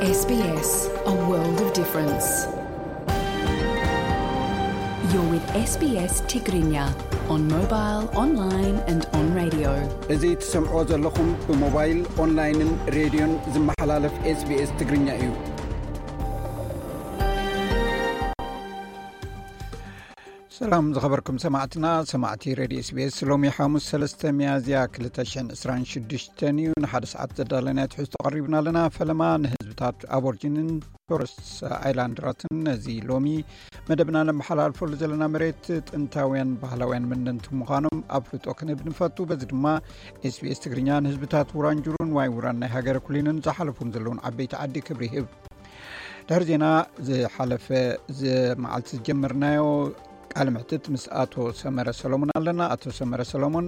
S B S, a world of difference. You're with S B S Tigrinya on mobile, online and on radio. እዚ ትሰምዕዎ ዘለኹም ብሞባይል፣ ኦንላይንን ሬድዮን ዝመሓላለፍ SBS ትግርኛ እዩ። ሰላም ዝኸበርኩም ሰማዕትና፣ ሰማዕቲ ሬድዮ SBS። ሎሚ ሓሙስ ሰለስተ ሚያዝያ ክልተ ሽሕን ዕስራን ሽዱሽተን እዩ። ንሓደ ሰዓት ዘዳለናዮ ትሕዝቶ ቀሪብና ኣለና። ፈለማ ንህዝብታት ኣቦርጂንን ቶረስ ኣይላንድራትን ነዚ ሎሚ መደብና ነመሓላልፈሉ ዘለና መሬት ጥንታውያን ባህላውያን መንነንቲ ምዃኖም ኣፍልጦ ክንህብ ንፈቱ። በዚ ድማ SBS ትግርኛ ንህዝብታት ውራንጁሩን ዋይ ውራን ናይ ሃገረ ኩሊንን ዝሓለፉም ዘለውን ዓበይቲ ዓዲ ክብሪ ይህብ። ድሕሪ ዜና ዝሓለፈ፣ እዚ መዓልቲ ዝጀመርናዮ ቃለ ምሕትት ምስ ኣቶ ሰመረ ሰሎሞን ኣለና። ኣቶ ሰመረ ሰሎሞን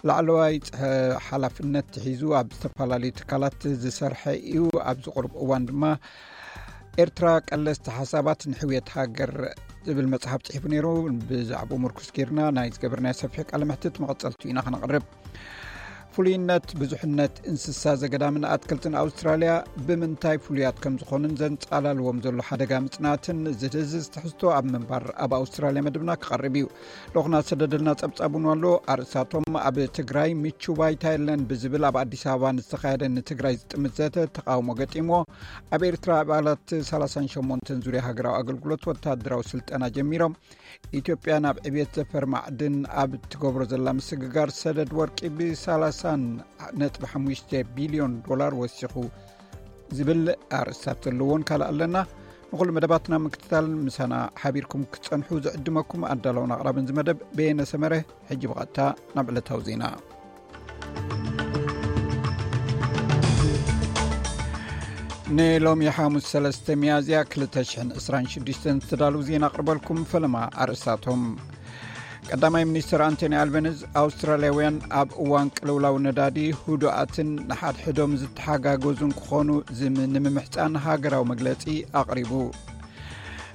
ላዕለዋይ ጽሐ-፣ ሓላፍነት ሒዙ ኣብ ዝተፈላለዩ ትካላት ዝሰርሐ እዩ። ኣብዚ ቁሩብ እዋን ድማ ኤርትራ ቀለስቲ ሓሳባት ንሕውየት ሃገር ዝብል መጽሓፍ ጽሒፉ ነይሩ። ብዛዕባኡ ምርኩስ ጌርና ናይ ዝገበርናዮ ሰፊሕ ቃለ ምሕትት መቐጸልቱ ኢና ከነቕርብ። ፍሉይነት ብዙሕነት እንስሳ ዘገዳምን ኣትክልትን ኣውስትራልያ ብምንታይ ፍሉያት ከም ዝኾኑን ዘንጻላልዎም ዘሎ ሓደጋ ምጽናትን ዝድህዝዝ ትሕዝቶ ኣብ ምንባር ኣብ ኣውስትራልያ መደብና ክቐርብ እዩ። ልኡኽና ዝሰደደልና ጸብጻብ እውን ኣሎ። ኣርእስታቶም ኣብ ትግራይ ምቹ ባይታ የለን ብዝብል ኣብ ኣዲስ ኣበባ ንዝተኻየደ ንትግራይ ዝጥምት ዘተ ተቓውሞ ገጢምዎ። ኣብ ኤርትራ ኣባላት ሰላሳን ሸሞንተን ዙርያ ሃገራዊ ኣገልግሎት ወታደራዊ ስልጠና ጀሚሮም። ኢትዮጵያ ናብ ዕብየት ዘፈር ማዕድን ኣብ እትገብሮ ዘላ ምስግጋር ሰደድ ወርቂ ብ ሰላሳ ነጥቢ ሓሙሽተ ቢልዮን ዶላር ወሲኹ ዝብል ኣርእስታት ዘለዎን ካልእ ኣለና። ንኹሉ መደባትና ምክትታል ምሳና ሓቢርኩም ክትጸንሑ ዝዕድመኩም ኣዳላውን ኣቕራብን ዝመደብ በየነ ሰመረ። ሕጂ ብቐጥታ ናብ ዕለታዊ ዜና። ንሎሚ ሓሙስ ሰለስተ ሚያዝያ ክልተ ሽሕን ዕስራን ሽዱሽተን ዝተዳለዉ ዜና ኣቕርበልኩም። ፈለማ ኣርእስታቶም። ቀዳማይ ሚኒስትር ኣንቶኒ ኣልበኒዝ ኣውስትራልያውያን ኣብ እዋን ቅልውላው ነዳዲ ህዱኣትን ንሓድሕዶም ዝተሓጋገዙን ክኾኑ ዝም-፣ ንምምሕጻን ሃገራዊ መግለጺ ኣቕሪቡ።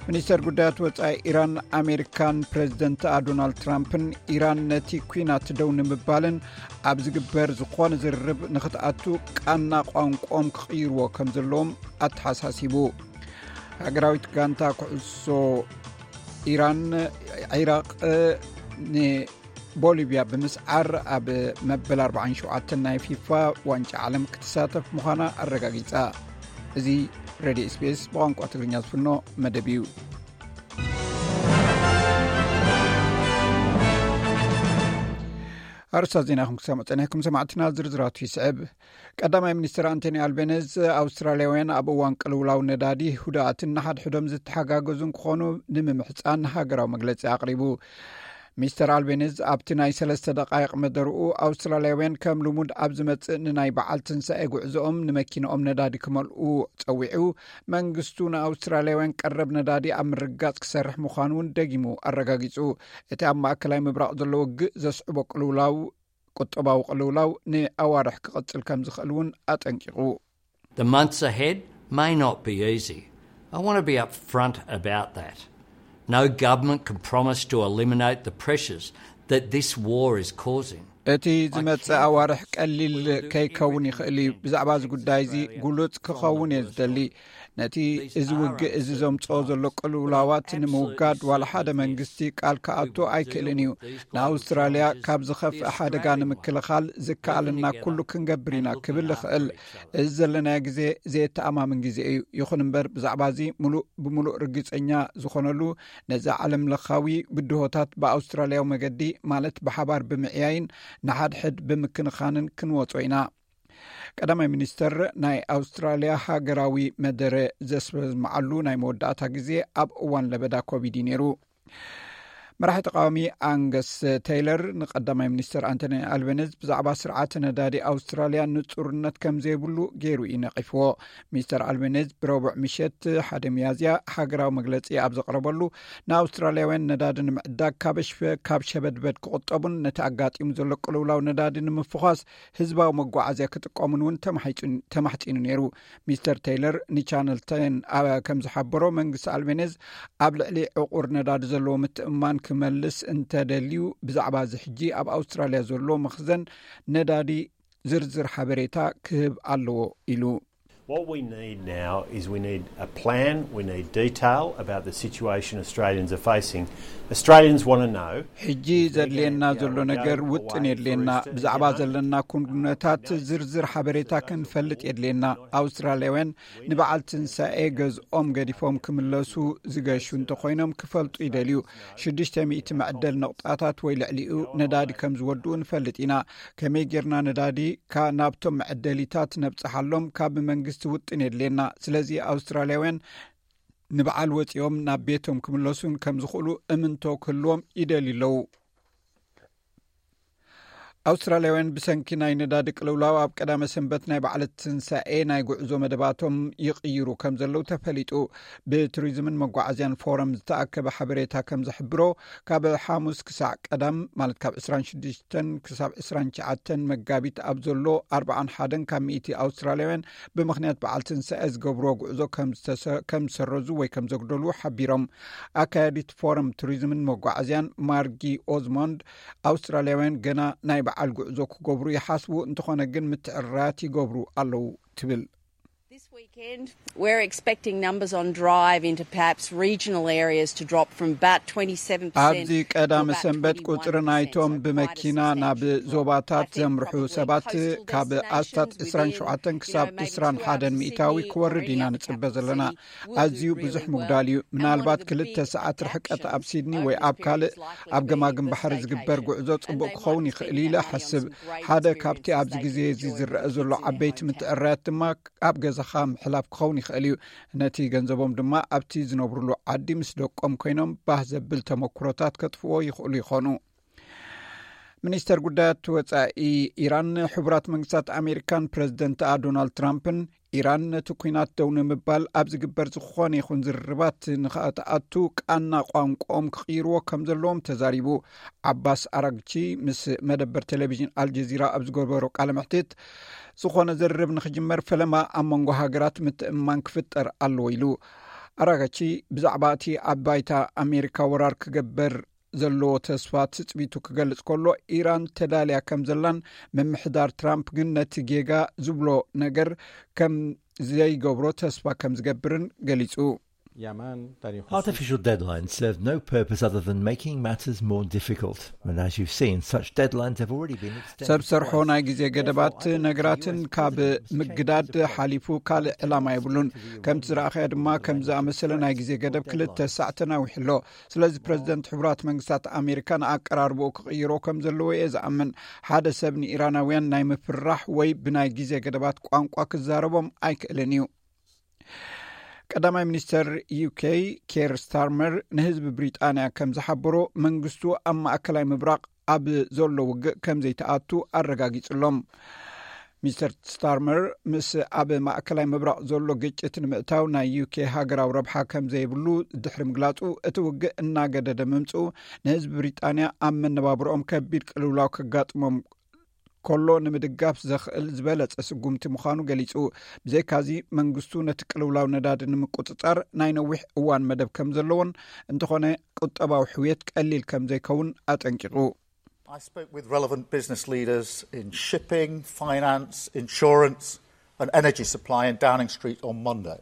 ሚኒስተር ጉዳያት ወጻኢ ኢራን ኣሜሪካን ፕሬዚደንት ዶናልድ ትራምፕን ኢራን ነቲ ኲናት ደው ንምባልን ኣብ ዝግበር ዝኾነ ዝርርብ ንኽትኣቱ ቃና ቋንቋኦም ክቕይርዎ ከም ዘለዎም ኣተሓሳሲቡ። ሃገራዊት ጋንታ ኩዕሶ ኢራን፣ ዒራቕ ንቦሊቪያ ብምስዓር ኣብ መበል ኣርባዓን ሸውዓተን ናይ ፊፋ ዋንጫ ዓለም ክትሳተፍ ምዃና ኣረጋጊጻ። እዚ ሬድዮ SBS ብቋንቋ ትግርኛ ዝፍኖ መደብ እዩ። ኣርእስታት ዜና ኢኹም ክሰምዑ ጸኒሕኩም ሰማዕትና፣ ዝርዝራቱ ይስዕብ። ቀዳማይ ሚኒስትር ኣንቶኒ ኣልቤነዝ ኣውስትራልያውያን ኣብ እዋን ቅልውላው ነዳዲ ህዱኣትን ንሓድሕዶም ዝተሓጋገዙን ክኾኑ ንምምሕጻን ሃገራዊ መግለጺ ኣቕሪቡ። ሚስተር ኣልቤነዝ ኣብቲ ናይ ሰለስተ ደቃይቕ መደርኡ ኣውስትራልያውያን ከም ልሙድ ኣብ ዝመጽእ ንናይ በዓል ትንሳኤ ጉዕዞኦም ንመኪናኦም ነዳዲ ክመልኡ ጸዊዑ። መንግስቱ ንኣውስትራልያውያን ቀረብ ነዳዲ ኣብ ምርግጋጽ ክሰርሕ ምዃኑ እውን ደጊሙ ኣረጋጊጹ። እቲ ኣብ ማእከላይ ምብራቕ ዘሎ ውግእ ዘስዕቦ ቅልውላው፣ ቁጠባዊ ቅልውላው ንኣዋርሕ ክቕጽል ከም ዝኽእል እውን ኣጠንቂቑ። The months ahead may not be easy. I want to be upfront about that. No government can promise to eliminate the pressures that this war is causing. እቲ ዝመጽእ ኣዋርሕ ቀሊል ከይከውን ይኽእል እዩ። ብዛዕባ እዚ ጉዳይ እዚ ግሉጽ ክኸውን እየ ዝደሊ። ነቲ እዚ ውግእ እዚ ዘምጽኦ ዘሎ ቅልውላዋት ንምውጋድ ዋላ ሓደ መንግስቲ ቃል ክኣቱ ኣይክእልን እዩ። ንኣውስትራልያ ካብ ዝኸፍእ ሓደጋ ንምክልኻል ዝከኣለና ኩሉ ክንገብር ኢና ክብል እኽእል። እዚ ዘለናዮ ግዜ ዘየተኣማምን ግዜ እዩ። ይኹን እምበር ብዛዕባ እዚ ምሉእ ብምሉእ ርግጸኛ ዝኾነሉ ነዚ ዓለም ለኻዊ ብድሆታት ብኣውስትራልያዊ መገዲ ማለት ብሓባር ብምዕያይን ንሓድሕድ ብምክንኻንን ክንወጾ ኢና። ቀዳማይ ሚኒስተር ናይ ኣውስትራልያ ሃገራዊ መደረ ዘስምዓሉ ናይ መወዳእታ ግዜ ኣብ እዋን ለበዳ ኮቪድ እዩ ነይሩ። መራሒ ተቃዋሚ ኣንገስ ቴይለር ንቀዳማይ ሚኒስተር ኣንቶኒ ኣልቤነዝ ብዛዕባ ስርዓተ ነዳዲ ኣውስትራልያ ንጹርነት ከም ዘይብሉ ገይሩ እዩ ነቒፍዎ። ሚስተር ኣልቤነዝ ብረቡዕ ምሸት ሓደ ሚያዝያ ሃገራዊ መግለጺ ኣብ ዘቕረበሉ ንኣውስትራልያውያን ነዳዲ ንምዕዳግ ካብ ሸ-፣ ካብ ሸበድበድ ክቑጠቡን ነቲ ኣጋጢሙ ዘሎ ቅልውላው ነዳዲ ንምፍዃስ ህዝባዊ መጓዓዝያ ክጥቀሙን እውን ተማሒጹ-፣ ተማሕጺኑ ነይሩ። ሚስተር ቴይለር ንቻነል ቴን ኣብ፣ ከም ዝሓበሮ መንግስቲ ኣልቤነዝ ኣብ ልዕሊ ዕቑር ነዳዲ ዘለዎ ምትእምማን ክመልስ እንተደልዩ ብዛዕባ እዚ ሕጂ ኣብ ኣውስትራልያ ዘሎ መኽዘን ነዳዲ ዝርዝር ሓበሬታ ክህብ ኣለዎ ኢሉ። What we need now is we need a plan, we need detail about the situation Australians are facing. Australians want to know. ሕጂ ዘድልየና ዘሎ ነገር ውጥን የድልየና። ብዛዕባ ዘለና ኩነታት ዝርዝር ሓበሬታ ክንፈልጥ የድልየና። ኣውስትራልያውያን ንበዓል ትንሳኤ ገዝኦም ገዲፎም ክምለሱ ዝገሹ እንተኾይኖም ክፈልጡ ይደልዩ። ሽዱሽተ ሚእቲ መዕደል ነቑጣታት ወይ ልዕሊኡ ነዳዲ ከም ዝወድኡ ንፈልጥ ኢና። ከመይ ጌርና ነዳዲ ናብቶም መዐደሊታት ነብጽሓሎም ካብ መንግስቲ ውጥን የድልየና። ስለዚ ኣውስትራልያውያን ንበዓል ወጺኦም ናብ ቤቶም ክምለሱን ከም ዝኽእሉ እምንቶ ክህልዎም ይደልዩ ኣለዉ። ኣውስትራልያውያን ብሰንኪ ናይ ነዳዲ ቅልውላው ኣብ ቀዳመ ሰንበት ናይ በዓል ትንሳኤ ናይ ጉዕዞ መደባቶም ይቕይሩ ከም ዘለዉ ተፈሊጡ። ብቱሪዝምን መጓዓዝያን ፎረም ዝተኣከበ ሓበሬታ ከም ዝሕብሮ፣ ካብ ሓሙስ ክሳዕ ቀዳም፣ ማለት ካብ ዕስራን ሽዱሽተን ክሳብ ዕስራን ትሽዓተን መጋቢት ኣብ ዘሎ ኣርባዓን ሓደን ካብ ሚእቲ ኣውስትራልያውያን ብምኽንያት በዓል ትንሳኤ ዝገብርዎ ጉዕዞ ከም ዝተሰ-፣ ከም ዝሰረዙ ወይ ከም ዘጉደሉ ሓቢሮም። ኣካያዲት ፎረም ቱሪዝምን መጓዓዝያን ማርጊ ኦዝሞንድ፣ ኣውስትራልያውያን ገና ናይ በዓል ጉዕዞ ክገብሩ ይሓስቡ፣ እንተኾነ ግን ምትዕርራያት ይገብሩ ኣለዉ ትብል። This weekend, we're expecting numbers on drive into perhaps regional areas to drop from about twenty-seven percent. ኣብዚ ቀዳመ ሰንበት ቁፅሪ ናይቶም ብመኪና ናብ ዞባታት ዘምርሑ ሰባት ካብ ኣስታት ዕስራን ሸውዓተን ክሳብ ዕስራን ሓደን ሚእታዊ ክወርድ ኢና ንፅበ ዘለና። ኣዝዩ ብዙሕ ምጉዳል እዩ። ምናልባት ክልተ ሰዓት ርሕቀት ኣብ ሲድኒ ወይ ኣብ ካልእ ኣብ ገማግም ባሕሪ ዝግበር ጉዕዞ ጽቡቕ ክኸውን ይኽእል ኢለ እሓስብ። ሓደ ካብቲ ኣብዚ ግዜ እዚ ዝረአ ዘሎ ዓበይቲ ምትዕርራያት ድማ ኣብ ገዛኻ ምሕላፍ ክኸውን ይኽእል እዩ። ነቲ ገንዘቦም ድማ ኣብቲ ዝነብሩሉ ዓዲ ምስ ደቆም ኮይኖም ባህ ዘብል ተመክሮታት ከጥፍዎ ይኽእሉ ይኾኑ። ሚኒስተር ጉዳያት ወጻኢ ኢራን፣ ሕቡራት መንግስታት ኣሜሪካን ፕረዚደንትኣ ዶናልድ ትራምፕን ኢራን ነቲ ኲናት ደው ንምባል ኣብ ዝግበር ዝኾነ ይኹን ዝርርባት ንኸኣትኣቱ ቃና ቋንቋኦም ክቕይርዎ ከም ዘለዎም ተዛሪቡ። ዓባስ ኣራግቺ ምስ መደበር ቴሌቪዥን ኣልጀዚራ ኣብ ዝገበሮ ቃለ መሕትት፣ ዝኾነ ዝርርብ ንኽጅመር ፈለማ ኣብ መንጎ ሃገራት ምትእምማን ክፍጠር ኣለዎ ኢሉ። ኣራጋቺ ብዛዕባ እቲ ኣብ ባይታ ኣሜሪካ ወራር ክገበር ዘለዎ ተስፋ ትጽቢቱ ክገልጽ ከሎ፣ ኢራን ተዳልያ ከም ዘላን ምምሕዳር ትራምፕ ግን ነቲ ጌጋ ዝብሎ ነገር ከም ዘይገብሮ ተስፋ ከም ዝገብርን ገሊጹ። Artificial deadlines serve no purpose other than making matters more difficult. And as you've seen, such deadlines have already been extended. ሰብ ሰርሖ ናይ ግዜ ገደባት ነገራትን ካብ ምግዳድ ሓሊፉ ካልእ ዕላማ የብሉን። ከምቲ ዝረኣኸዮ ድማ፣ ከም ዝኣመሰለ ናይ ግዜ ገደብ ክልተ ሳዕ ተናዊሑ ኣሎ። ስለዚ ፕረዚደንት ሕቡራት መንግስታት ኣሜሪካ ንኣቀራርባኡ ክቕይሮ ከም ዘለዎ እየ ዝኣምን። ሓደ ሰብ ንኢራናውያን ናይ ምፍርራሕ ወይ ብናይ ግዜ ገደባት ቋንቋ ክዛረቦም ኣይክእልን እዩ። ቀዳማይ ሚኒስተር ዩኬ ኬር ስታርመር ንህዝቢ ብሪጣንያ ከም ዝሓበሮ፣ መንግስቱ ኣብ ማእከላይ ምብራቕ ኣብ ዘሎ ውግእ ከም ዘይተኣቱ ኣረጋጊጹሎም። ሚስተር ስታርመር ምስ ኣብ ማእከላይ ምብራቕ ዘሎ ግጭት ንምእታው ናይ ዩኬ ሃገራዊ ረብሓ ከም ዘይብሉ ድሕሪ ምግላጹ፣ እቲ ውግእ እናገደደ ምምጽኡ ንህዝቢ ብሪጣንያ ኣብ መነባብሮኦም ከቢድ ቅልውላው ከጋጥሞም ከሎ ንምድጋፍ ዘኽእል ዝበለጸ ስጉምቲ ምዃኑ ገሊጹ። ብዘይካዚ መንግስቱ ነቲ ቅልውላው ነዳዲ ንምቁጽጻር ናይ ነዊሕ እዋን መደብ ከም ዘለዎን፣ እንተኾነ ቁጠባዊ ሕውየት ቀሊል ከም ዘይከውን ኣጠንቂቑ። I spoke with relevant business leaders in shipping, finance, insurance and energy supply in Downing Street on Monday.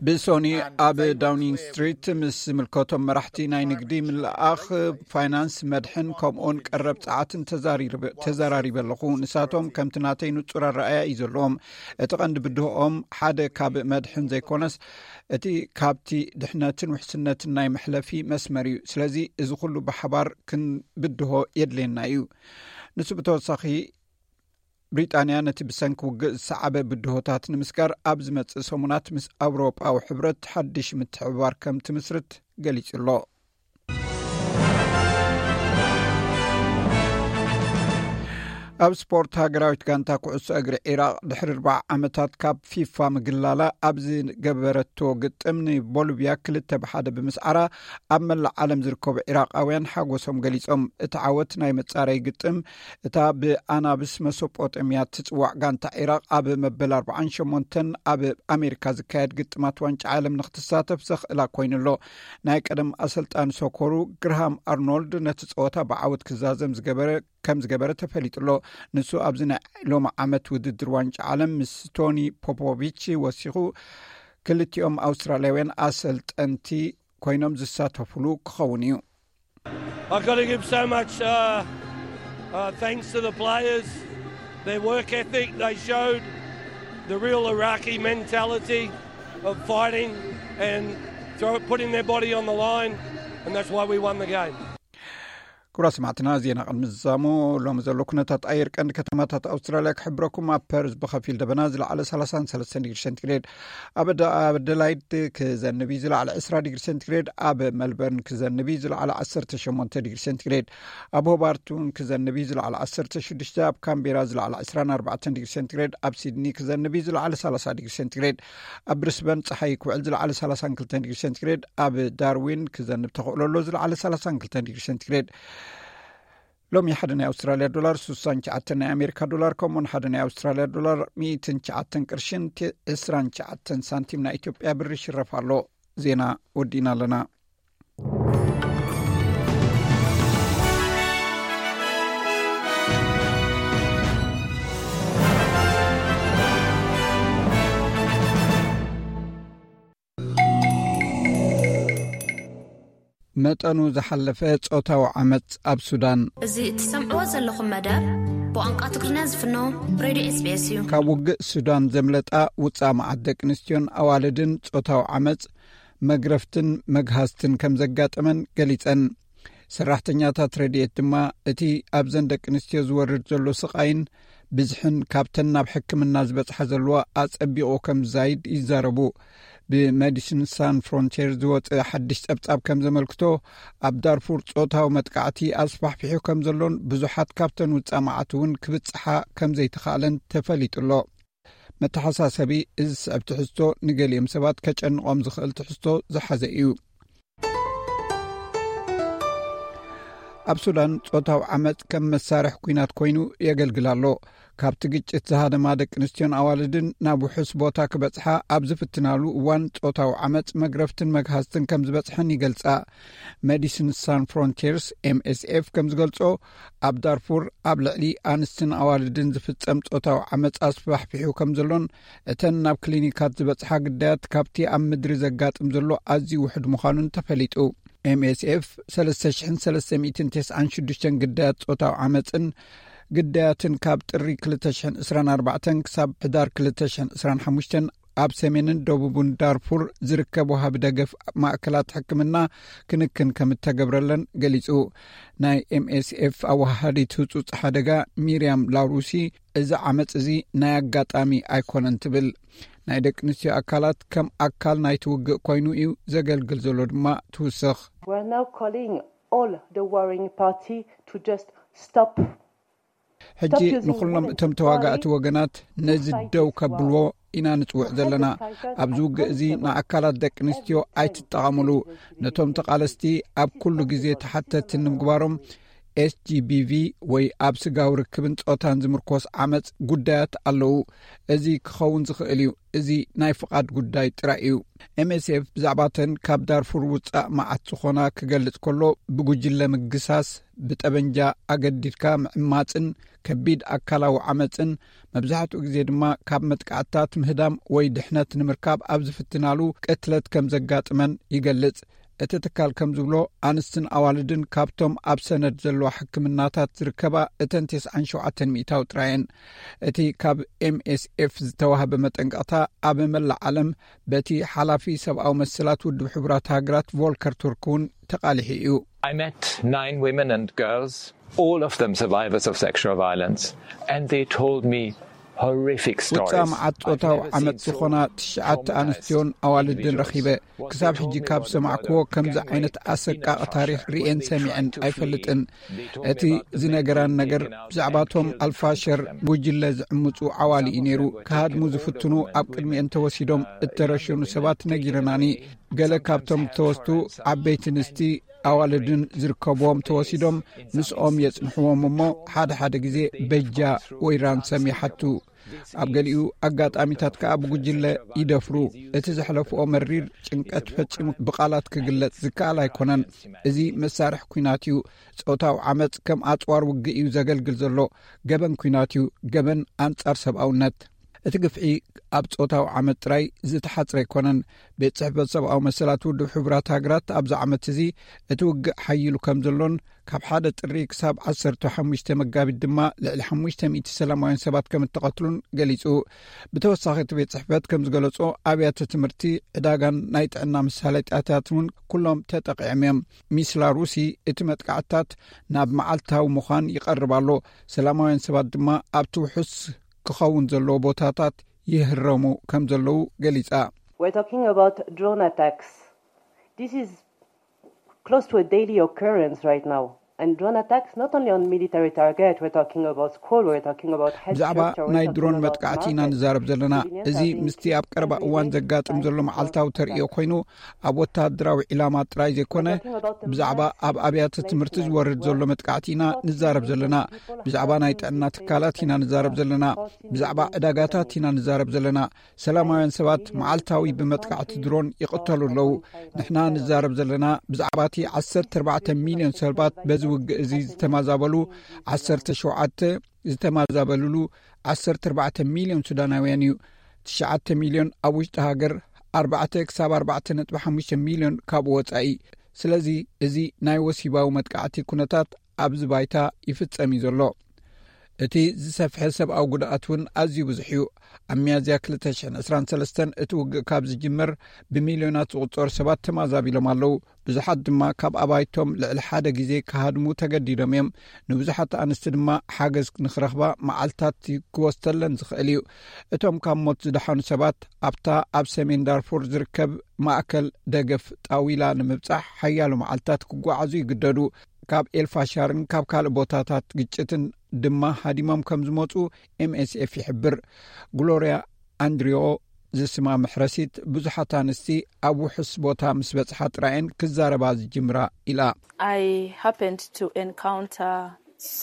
ብሶኒ ኣብ ዳውኒንግ ስትሪት ምስ ዝምልከቶም መራሕቲ ናይ ንግዲ፣ ምልኣኽ፣ ፋይናንስ፣ መድሕን ከምኡውን ቀረብ ጸዓትን ተዛሪበ ኣለኹ። ንሳቶም ከምቲ ናተይ ንጹር ኣረኣያ እዩ ዘለዎም። እቲ ቀንዲ ብድሆኦም ሓደ ካብ መድሕን ዘይኮነስ፣ እቲ ካብቲ ድሕነትን ውሕስነትን ናይ መሕለፊ መስመር እዩ። ስለዚ እዚ ኩሉ ብሓባር ክንብድሆ የድልየና እዩ። ንሱ ብተወሳኺ፣ ብሪጣንያ ነቲ ብሰንኪ ውግእ ዝሰዓበ ብድሆታት ንምስጋር ኣብ ዝመጽእ ሰሙናት ምስ ኣውሮጳዊ ሕብረት ሓድሽ ምትሕብባር ከም ትምስርት ገሊጹ ኣሎ። ኣብ ስፖርት፣ ሃገራዊት ጋንታ ኩዕሶ እግሪ ዒራቕ ድሕሪ ኣርባዓ ዓመታት ካብ ፊፋ ምግላላ ኣብ ዝገበረቶ ግጥም ንቦሊቭያ ክልተ ብሓደ ብምስዓራ ኣብ መላእ ዓለም ዝርከቡ ዒራቓውያን ሓጎሶም ገሊጾም። እቲ ዓወት ናይ መጻረይ ግጥም እታ ብኣናብስ መሶጶጠምያ ትጽዋዕ ጋንታ ዒራቕ ኣብ መበል ኣርባዓን ሸሞንተን ኣብ ኣሜሪካ ዝካየድ ግጥማት ዋንጫ ዓለም ንክትሳተፍ ዘኽእላ ኮይኑሎ። ናይ ቀደም ኣሰልጣኒ ሶኮሩ ግርሃም ኣርኖልድ ነቲ ጸወታ ብዓወት ክዛዘም ዝገበረ ከም ዝገበረ ተፈሊጡ ኣሎ። ንሱ ኣብዚ ናይ ሎሚ ዓመት ውድድር ዋንጫ ዓለም ምስ ቶኒ ፖፖቪች ወሲኹ ክልቲኦም ኣውስትራልያውያን ኣሰልጠንቲ ኮይኖም ዝሳተፉሉ ክኸውን እዩ። I've got to give so much uh, uh, thanks to the players, their work ethic. They showed the real Iraqi mentality of fighting and throw, putting their body on the line, and that's why we won the game. ክቡራ ሰማዕትና፣ ዜና ቅድሚ ዝዛሙ ሎሚ ዘሎ ኩነታት ኣየር ቀንዲ ከተማታት ኣውስትራልያ ክሕብረኩም። ኣብ ፐርዝ ብኸፊል ደበና ዝለዓለ ሰላሳን ሰለስተን ዲግሪ ሴንቲግሬድ፣ ኣብ ኣደላይድ ክዘንብ እዩ ዝለዓለ ዕስራ ዲግሪ ሴንቲግሬድ፣ ኣብ መልበርን ክዘንብ እዩ ዝለዓለ ዓሰርተ ሸሞንተ ዲግሪ ሴንቲግሬድ፣ ኣብ ሆባርት እውን ክዘንብ እዩ ዝለዓለ ዓሰርተ ሽዱሽተ፣ ኣብ ካምቤራ ዝለዓለ ዕስራን ኣርባዕተን ዲግሪ ሴንቲግሬድ፣ ኣብ ሲድኒ ክዘንብ እዩ ዝለዓለ ሰላሳ ዲግሪ ሴንቲግሬድ፣ ኣብ ብሪስበን ጸሓይ ክውዕል ዝለዓለ ሰላሳን ክልተን ዲግሪ ሴንቲግሬድ፣ ኣብ ዳርዊን ክዘንብ ተኽእሎ ኣሎ ዝለዓለ ሰላሳን ክልተን ዲግሪ ሴንቲግሬድ። ሎሚ ሓደ ናይ ኣውስትራልያ ዶላር ስሳን ትሽዓተን ናይ ኣሜሪካ ዶላር፣ ከምኡውን ሓደ ናይ ኣውስትራልያ ዶላር ሚእትን ትሽዓተን ቅርሽን ቲ-፣ ዕስራን ትሽዓተን ሳንቲም ናይ ኢትዮጵያ ብር ይሽረፍ ኣሎ። ዜና ወዲእና ኣለና። መጠኑ ዝሓለፈ ጾታዊ ዓመጽ ኣብ ሱዳን። እዚ እትሰምዕዎ ዘለኹም መደብ ብቋንቋ ትግርኛ ዝፍኖ ሬድዮ ኤስቢኤስ እዩ። ካብ ውግእ ሱዳን ዘምለጣ ውጻእ መዓት ደቂ ኣንስትዮን ኣዋልድን ጾታዊ ዓመጽ፣ መግረፍትን መግሃስትን ከም ዘጋጠመን ገሊጸን። ሰራሕተኛታት ረድኤት ድማ እቲ ኣብዘን ደቂ ኣንስትዮ ዝወርድ ዘሎ ስቓይን ብዝሕን ካብተን ናብ ሕክምና ዝበጽሓ ዘለዋ ኣጸቢቑ ከም ዝዛይድ ይዛረቡ። ብሜዲሲን ሳን ፍሮንቲር ዝወጸ ሓድሽ ጸብጻብ ከም ዘመልክቶ፣ ኣብ ዳርፉር ጾታዊ መጥቃዕቲ ኣስፋሕፊሑ ከም ዘሎን ብዙሓት ካብተን ውጻእ መዓት እውን ክብጽሓ ከም ዘይተኻእለን ተፈሊጡ ኣሎ። መተሓሳሰቢ፣ እዚ ዝስዕብ ትሕዝቶ ንገሊኦም ሰባት ከጨንቖም ዝኽእል ትሕዝቶ ዝሓዘ እዩ። ኣብ ሱዳን ጾታዊ ዓመጽ ከም መሳርሒ ኲናት ኮይኑ የገልግል ኣሎ። ካብቲ ግጭት ዝሃደማ ደቂ ኣንስትዮን ኣዋልድን ናብ ውሑስ ቦታ ክበጽሓ ኣብ ዝፍትናሉ እዋን ጾታዊ ዓመጽ መግረፍትን መግሃስትን ከም ዝበጽሐን ይገልጻ። ሜዲሲን ሳን ፍሮንቲርስ፣ ኤምኤስኤፍ፣ ከም ዝገልጾ፣ ኣብ ዳርፉር ኣብ ልዕሊ ኣንስትን ኣዋልድን ዝፍጸም ጾታዊ ዓመጽ ኣስፋሕፊሑ ከም ዘሎን እተን ናብ ክሊኒካት ዝበጽሓ ግዳያት ካብቲ ኣብ ምድሪ ዘጋጥም ዘሎ ኣዝዩ ውሑድ ምዃኑን ተፈሊጡ። ኤምኤስኤፍ ሰለስተ ሽሕን ሰለስተ ሚእትን ተስዓን ሽዱሽተን ግዳያት ጾታዊ ዓመጽን ግዳያትን ካብ ጥሪ ክልተ ሽሕን ዕስራን ኣርባዕተን ክሳብ ሕዳር ክልተ ሽሕን ዕስራን ሓሙሽተን ኣብ ሰሜንን ደቡብን ዳርፉር ዝርከብ ወሃቢ ደገፍ ማእከላት ሕክምና ክንክን ከም እተገብረለን ገሊጹ። ናይ ኤምኤስኤፍ ኣወሃሃዲት ህጹጽ ሓደጋ ሚርያም ላውሩሲ፣ እዚ ዓመጽ እዚ ናይ ኣጋጣሚ ኣይኮነን ትብል። ናይ ደቂ ኣንስትዮ ኣካላት ከም ኣካል ናይቲ ውግእ ኮይኑ እዩ ዘገልግል ዘሎ ድማ ትውስኽ። We're now calling all the warring party to just stop. ሕጂ ንኹሎም እቶም ተዋጋእቲ ወገናት ነዚ ደው ከብልዎ ኢና ንጽውዕ ዘለና። ኣብዚ ውግእ እዚ ንኣካላት ደቂ ኣንስትዮ ኣይትጠቐሙሉ። ነቶም ተቓለስቲ ኣብ ኩሉ ግዜ ተሓተቲ ንምግባሮም ኤስጂቢቪ ወይ ኣብ ስጋዊ ርክብን ጾታን ዝምርኮስ ዓመጽ ጉዳያት ኣለዉ። እዚ ክኸውን ዝኽእል እዩ። እዚ ናይ ፍቓድ ጉዳይ ጥራይ እዩ። ኤምኤስኤፍ ብዛዕባተን ካብ ዳርፉር ውጻእ መዓት ዝኾና ክገልጽ ከሎ፣ ብጉጅለ ምግሳስ፣ ብጠበንጃ ኣገዲድካ ምዕማጽን ከቢድ ኣካላዊ ዓመጽን፣ መብዛሕትኡ ግዜ ድማ ካብ መጥቃዕትታት ምህዳም ወይ ድሕነት ንምርካብ ኣብ ዝፍትናሉ ቅትለት ከም ዘጋጥመን ይገልጽ። እቲ ትካል ከም ዝብሎ፣ ኣንስትን ኣዋልድን ካብቶም ኣብ ሰነድ ዘለዋ ሕክምናታት ዝርከባ እተን ተስዓን ሸውዓተን ሚእታዊ ጥራየን። እቲ ካብ ኤምኤስኤፍ ዝተዋህበ መጠንቀቕታ ኣብ መላእ ዓለም በቲ ሓላፊ ሰብኣዊ መሰላት ውድብ ሕቡራት ሃገራት ቮልከር ቱርክ እውን ተቓሊሑ እዩ። I met nine women and girls, all of them survivors of sexual violence, and they told me horrific stories. ውጻእ መዓት ጾታዊ ዓመጽ ዝኾና ትሽዓተ ኣንስትዮን ኣዋልድን ረኺበ። ክሳብ ሕጂ ካብ ሰማዕክዎ ከምዚ ዓይነት ኣሰቃቒ ታሪኽ ርእየን ሰሚዐን ኣይፈልጥን። እቲ ዝነገራን ነገር ብዛዕባቶም ኣልፋሸር ጉጅለ ዝዕምጹ ዓዋሊ እዩ ነይሩ። ክሃድሙ ዝፍትኑ ኣብ ቅድሚኤን ተወሲዶም እተረሸኑ ሰባት ነጊረናኒ። ገለ ካብቶም ዝተወስዱ ዓበይቲ ኣንስቲ ኣዋልድን ዝርከብዎም ተወሲዶም ምስኦም የጽንሕዎም እሞ ሓደ ሓደ ግዜ በጃ ወይ ራንሰም ይሓቱ። ኣብ ገሊኡ ኣጋጣሚታት ከኣ ብጉጅለ ይደፍሩ። እቲ ዘሕለፍኦ መሪር ጭንቀት ፈጺሙ ብቓላት ክግለጽ ዝከኣል ኣይኮነን። እዚ መሳርሒ ኲናት እዩ። ጾታዊ ዓመጽ ከም ኣጽዋር ውግእ እዩ ዘገልግል ዘሎ። ገበን ኲናት እዩ። ገበን ኣንጻር ሰብኣውነት። እቲ ግፍዒ ኣብ ጾታዊ ዓመጽ ጥራይ ዝተሓጽረ ኣይኮነን። ቤት ጽሕፈት ሰብኣዊ መሰላት ውድብ ሕቡራት ሃገራት ኣብዚ ዓመት እዚ እቲ ውግእ ሓይሉ ከም ዘሎን ካብ ሓደ ጥሪ ክሳብ ዓሰርተ ሓሙሽተ መጋቢት ድማ ልዕሊ ሓሙሽተ ሚእቲ ሰላማውያን ሰባት ከም እተቐትሉን ገሊጹ። ብተወሳኺ እቲ ቤት ጽሕፈት ከም ዝገለጾ ኣብያተ ትምህርቲ፣ ዕዳጋን ናይ ጥዕና መሳለጥያታት እውን ኩሎም ተጠቒዖም እዮም። ሚስ ላሩሲ እቲ መጥቃዕትታት ናብ መዓልታዊ ምዃን ይቐርብ ኣሎ። ሰላማውያን ሰባት ድማ ኣብቲ ውሑስ ክኸውን ዘለዎ ቦታታት ይህረሙ ከም ዘለዉ ገሊጻ። We're talking about drone attacks. This is close to a daily occurrence right now. And drone attacks not only on military target, we're talking about school, we're talking about health ብዛዕባ structure, we're ናይ talking ድሮን about መጥቃዕቲ ኢና markets. ንዛረብ ዘለና። እዚ ምስቲ ኣብ ቀረባ እዋን ዘጋጥም ዘሎ መዓልታዊ ተርእዮ ኮይኑ ኣብ ወታደራዊ ዒላማ ጥራይ ዘይኮነ ብዛዕባ ኣብ ኣብያተ ትምህርቲ ዝወርድ ዘሎ መጥቃዕቲ ኢና ንዛረብ ዘለና። ብዛዕባ ናይ ጥዕና ትካላት ኢና ንዛረብ ዘለና። ብዛዕባ ዕዳጋታት ኢና ንዛረብ ዘለና። ሰላማውያን ሰባት መዓልታዊ ብመጥቃዕቲ ድሮን ይቕተሉ ኣለዉ። ንሕና ንዛረብ ዘለና ብዛዕባ እቲ ዓሰርተ ኣርባዕተ ሚልዮን ሰባት በዚ ውግእ እዚ ዝተማዛበሉ፣ ዓሰርተ ሸውዓተ ዝተማዛበልሉ፣ ዓሰርተ ኣርባዕተ ሚልዮን ሱዳናውያን እዩ። ትሽዓተ ሚልዮን ኣብ ውሽጢ ሃገር፣ ኣርባዕተ ክሳብ ኣርባዕተ ነጥቢ ሓሙሽተ ሚልዮን ካብኡ ወጻኢ። ስለዚ እዚ ናይ ወሲባዊ መጥቃዕቲ ኩነታት ኣብዚ ባይታ ይፍጸም እዩ ዘሎ። እቲ ዝሰፍሐ ሰብኣዊ ጉድኣት እውን ኣዝዩ ብዙሕ እዩ። ኣብ ሚያዝያ ክልተ ሽሕን ዕስራን ሰለስተን እቲ ውግእ ካብ ዝጅምር ብሚልዮናት ዝቑጸሩ ሰባት ተማዛቢሎም ኣለዉ። ብዙሓት ድማ ካብ ኣባይቶም ልዕሊ ሓደ ግዜ ክሃድሙ ተገዲዶም እዮም። ንብዙሓት ኣንስቲ ድማ ሓገዝ ንኽረኽባ መዓልታት ክወስደለን ዝኽእል እዩ። እቶም ካብ ሞት ዝደሓኑ ሰባት ኣብታ ኣብ ሰሜን ዳርፉር ዝርከብ ማእከል ደገፍ ጣዊላ ንምብጻሕ ሓያሎ መዓልታት ክጓዓዙ ይግደዱ። ካብ ኤልፋሻርን ካብ ካልእ ቦታታት ግጭትን ድማ ሃዲሞም ከም ዝመጹ ኤምኤስኤፍ ይሕብር። ግሎርያ ኣንድሪዮ ዝስማ መሕረሲት ብዙሓት ኣንስቲ ኣብ ውሑስ ቦታ ምስ በጽሓ ጥራየን ክዛረባ ዝጅምራ ኢላ። I happened to encounter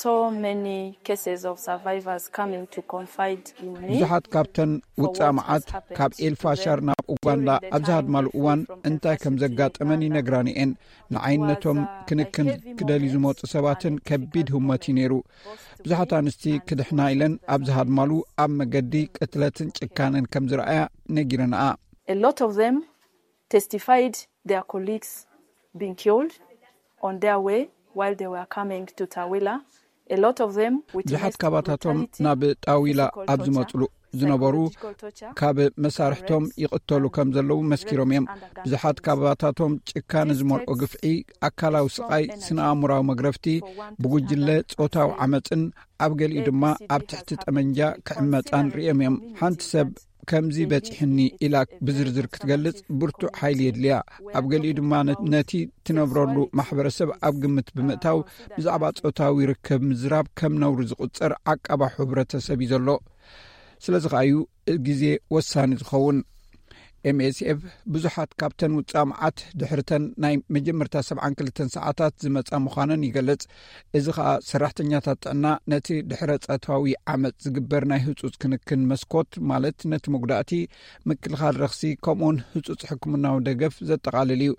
so many cases of survivors coming to confide in me. ብዙሓት ካብተን ውጻእ መዓት ካብ ኤልፋሻር ናብ ኡጋንዳ ኣብ ዝሃድማሉ እዋን እንታይ ከም ዘጋጠመን ይነግራኒ እየን። ንዓይነቶም ክንክን ክደልዩ ዝመጹ ሰባትን ከቢድ ህሞት እዩ ነይሩ። ብዙሓት ኣንስቲ ክድሕና ኢለን ኣብ ዝሃድማሉ ኣብ መገዲ ቅትለትን ጭካነን ከም ዝረኣያ ነጊረንኣ። A lot of them testified their colleagues being killed on their way while they were coming to Tawila. A lot of them ብዙሓት ካባታቶም ናብ ጣዊላ ኣብ ዝመጽሉ ዝነበሩ ካብ መሳርሕቶም ይቕተሉ ከም ዘለዉ መስኪሮም እዮም። ብዙሓት ካባታቶም ጭካነ ዝመልኦ ግፍዒ፣ ኣካላዊ ስቓይ፣ ስነ ኣእምራዊ መግረፍቲ፣ ብጉጅለ ጾታዊ ዓመጽን ኣብ ገሊኡ ድማ ኣብ ትሕቲ ጠመንጃ ክዕመጻን ርእዮም እዮም። ሓንቲ ሰብ ከምዚ በጺሕኒ ኢላ ብዝርዝር ክትገልጽ ብርቱዕ ሓይሊ የድልያ። ኣብ ገሊኡ ድማ ነ- ነቲ ትነብረሉ ማሕበረሰብ ኣብ ግምት ብምእታው ብዛዕባ ጾታዊ ርክብ ምዝራብ ከም ነውሪ ዝቑጸር ዓቃባ ሕብረተሰብ እዩ ዘሎ። ስለዚ ከኣ እዩ ግዜ ወሳኒ ዝኸውን። ኤምኤስኤፍ ብዙሓት ካብተን ውጻእ መዓት ድሕርተን ናይ መጀመርታ ሰብዓን ክልተን ሰዓታት ዝመጻ ምዃነን ይገልጽ። እዚ ከኣ ሰራሕተኛታት ጥዕና ነቲ ድሕረ ጸታዊ ዓመጽ ዝግበር ናይ ህጹጽ ክንክን መስኮት፣ ማለት ነቲ መጉዳእቲ፣ ምክልኻል ረኽሲ፣ ከምኡውን ህጹጽ ሕክምናዊ ደገፍ ዘጠቓልል እዩ።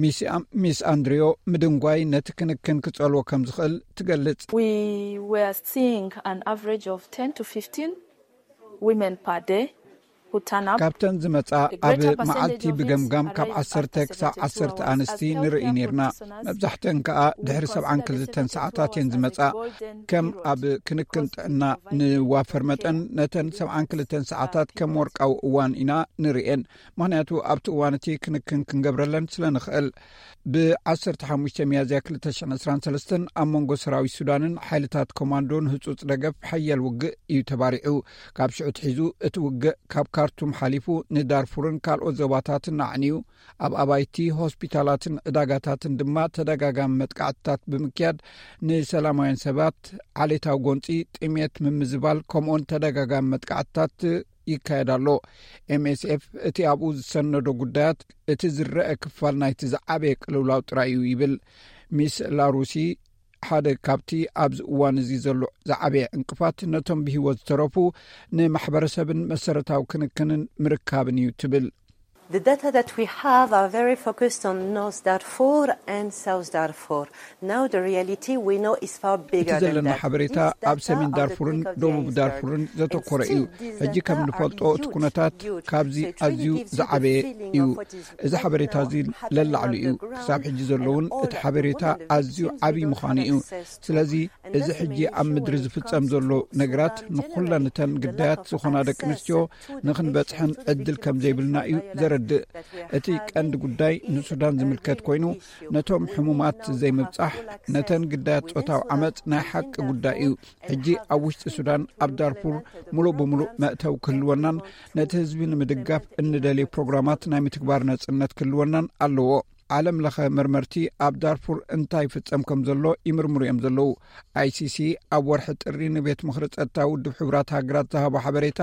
ሚስ ኣም- ሚስ ኣንድሪዮ ምድንጓይ ነቲ ክንክን ክጸልዎ ከም ዝኽእል ትገልጽ። We were seeing an average of ten to fifteen women per day who turn up. ካብተን ዝመጻ ኣብ መዓልቲ ብገምጋም ካብ ዓሰርተ ክሳብ ዓሰርተ ኣንስቲ ንርኢ ነርና። መብዛሕተን ከኣ ድሕሪ ሰብዓን ክልተን ሰዓታት እየን ዝመጻ። ከም ኣብ ክንክን ጥዕና ንዋፈር መጠን ነተን ሰብዓን ክልተን ሰዓታት ከም ወርቃዊ እዋን ኢና ንርእየን። ምኽንያቱ ኣብቲ እዋን እቲ ክንክን ክንገብረለን ስለ ንኽእል። ብ ዓሰርተ ሓሙሽተ ሚያዝያ ክልተ ሽሕን ዕስራን ሰለስተን ኣብ መንጎ ሰራዊት ሱዳንን ሓይልታት ኮማንዶን ህጹጽ ደገፍ ሓያል ውግእ እዩ ተባሪዑ። ካብ ሽዑ ትሒዙ እቲ ውግእ ካብ ካርቱም ሓሊፉ ንዳርፉርን ካልኦት ዞባታትን ኣዕንዩ፣ ኣብ ኣባይቲ፣ ሆስፒታላትን ዕዳጋታትን ድማ ተደጋጋሚ መጥቃዕትታት ብምክያድ ንሰላማውያን ሰባት ዓሌታዊ ጎንጺ፣ ጥሜት፣ ምምዝባል ከምኡውን ተደጋጋሚ መጥቃዕትታት ይካየድ ኣሎ። ኤምኤስኤፍ እቲ ኣብኡ ዝሰነዶ ጉዳያት እቲ ዝረአ ክፋል ናይቲ ዝዓበየ ቅልውላው ጥራይ እዩ ይብል። ሚስ ላሩሲ ሓደ ካብቲ ኣብዚ እዋን እዚ ዘሎ ዝዓበየ ዕንቅፋት ነቶም ብህይወት ዝተረፉ ንማሕበረሰብን መሰረታዊ ክንክንን ምርካብን እዩ ትብል። The data that we have are very focused on North Darfur and South Darfur. Now the reality we know is far bigger than ዘለና ሓበሬታ ኣብ ሰሜን ዳርፉርን ደቡብ ዳርፉርን ዘተኮረ እዩ። ሕጂ ከም ንፈልጦ እቲ ኩነታት ካብዚ ኣዝዩ ዝዓበየ እዩ። እዚ ሓበሬታ እዚ ለላዕሉ እዩ። ክሳብ ሕጂ ዘለውን እቲ ሓበሬታ ኣዝዩ ዓብዪ ምዃኑ እዩ። ስለዚ እዚ ሕጂ ኣብ ምድሪ ዝፍጸም ዘሎ ነገራት ንኹለን እተን ግዳያት ዝኾና ደቂ ኣንስትዮ ንኽንበጽሐን ዕድል ከም ዘይብልና እዩ ዘረድእ። እቲ ቀንዲ ጉዳይ ንሱዳን ዝምልከት ኮይኑ ነቶም ሕሙማት ዘይምብጻሕ ነተን ግዳያት ጾታዊ ዓመጽ ናይ ሓቂ ጉዳይ እዩ። ሕጂ ኣብ ውሽጢ ሱዳን ኣብ ዳርፉር ሙሉእ ብምሉእ መእተው ክህልወናን ነቲ ህዝቢ ንምድጋፍ እንደልዮ ፕሮግራማት ናይ ምትግባር ነጽነት ክህልወናን ኣለዎ። ዓለም ለኸ መርመርቲ ኣብ ዳርፉር እንታይ ይፍጸም ከም ዘሎ ይምርምሩ እዮም ዘለዉ። ኣይሲሲ ኣብ ወርሒ ጥሪ ንቤት ምኽሪ ጸጥታ ውድብ ሕቡራት ሃገራት ዝሃቦ ሓበሬታ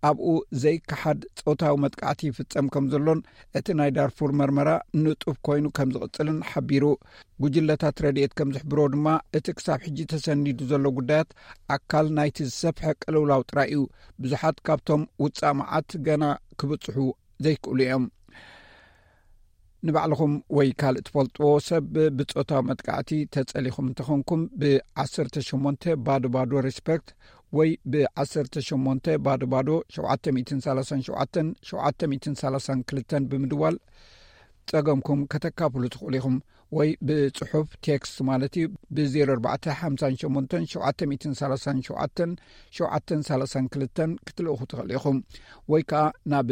ኣብኡ ዘይከሓድ ጾታዊ መጥቃዕቲ ይፍጸም ከም ዘሎን እቲ ናይ ዳርፉር መርመራ ንጡፍ ኮይኑ ከም ዝቕጽልን ሓቢሩ። ጉጅለታት ረድኤት ከም ዝሕብሮ ድማ እቲ ክሳብ ሕጂ ተሰኒዱ ዘሎ ጉዳያት ኣካል ናይቲ ዝሰፍሐ ቅልውላው ጥራይ እዩ። ብዙሓት ካብቶም ውጻእ መዓት ገና ክብጽሑ ዘይክእሉ እዮም። ንባዕልኹም ወይ ካልእ ትፈልጥዎ ሰብ ብጾታዊ መጥቃዕቲ ተጸሊኹም እንተኾንኩም ብ18 ባዶ ባዶ ሪስፐክት ወይ ብ18 ባዶ ባዶ 737 732 ብምድዋል ጸገምኩም ከተካፍሉ ትኽእሉ ኢኹም። ወይ ብጽሑፍ ቴክስት ማለት እዩ ብ0458737732 ክትልእኹ ትኽእሉ ኢኹም። ወይ ከዓ ናብ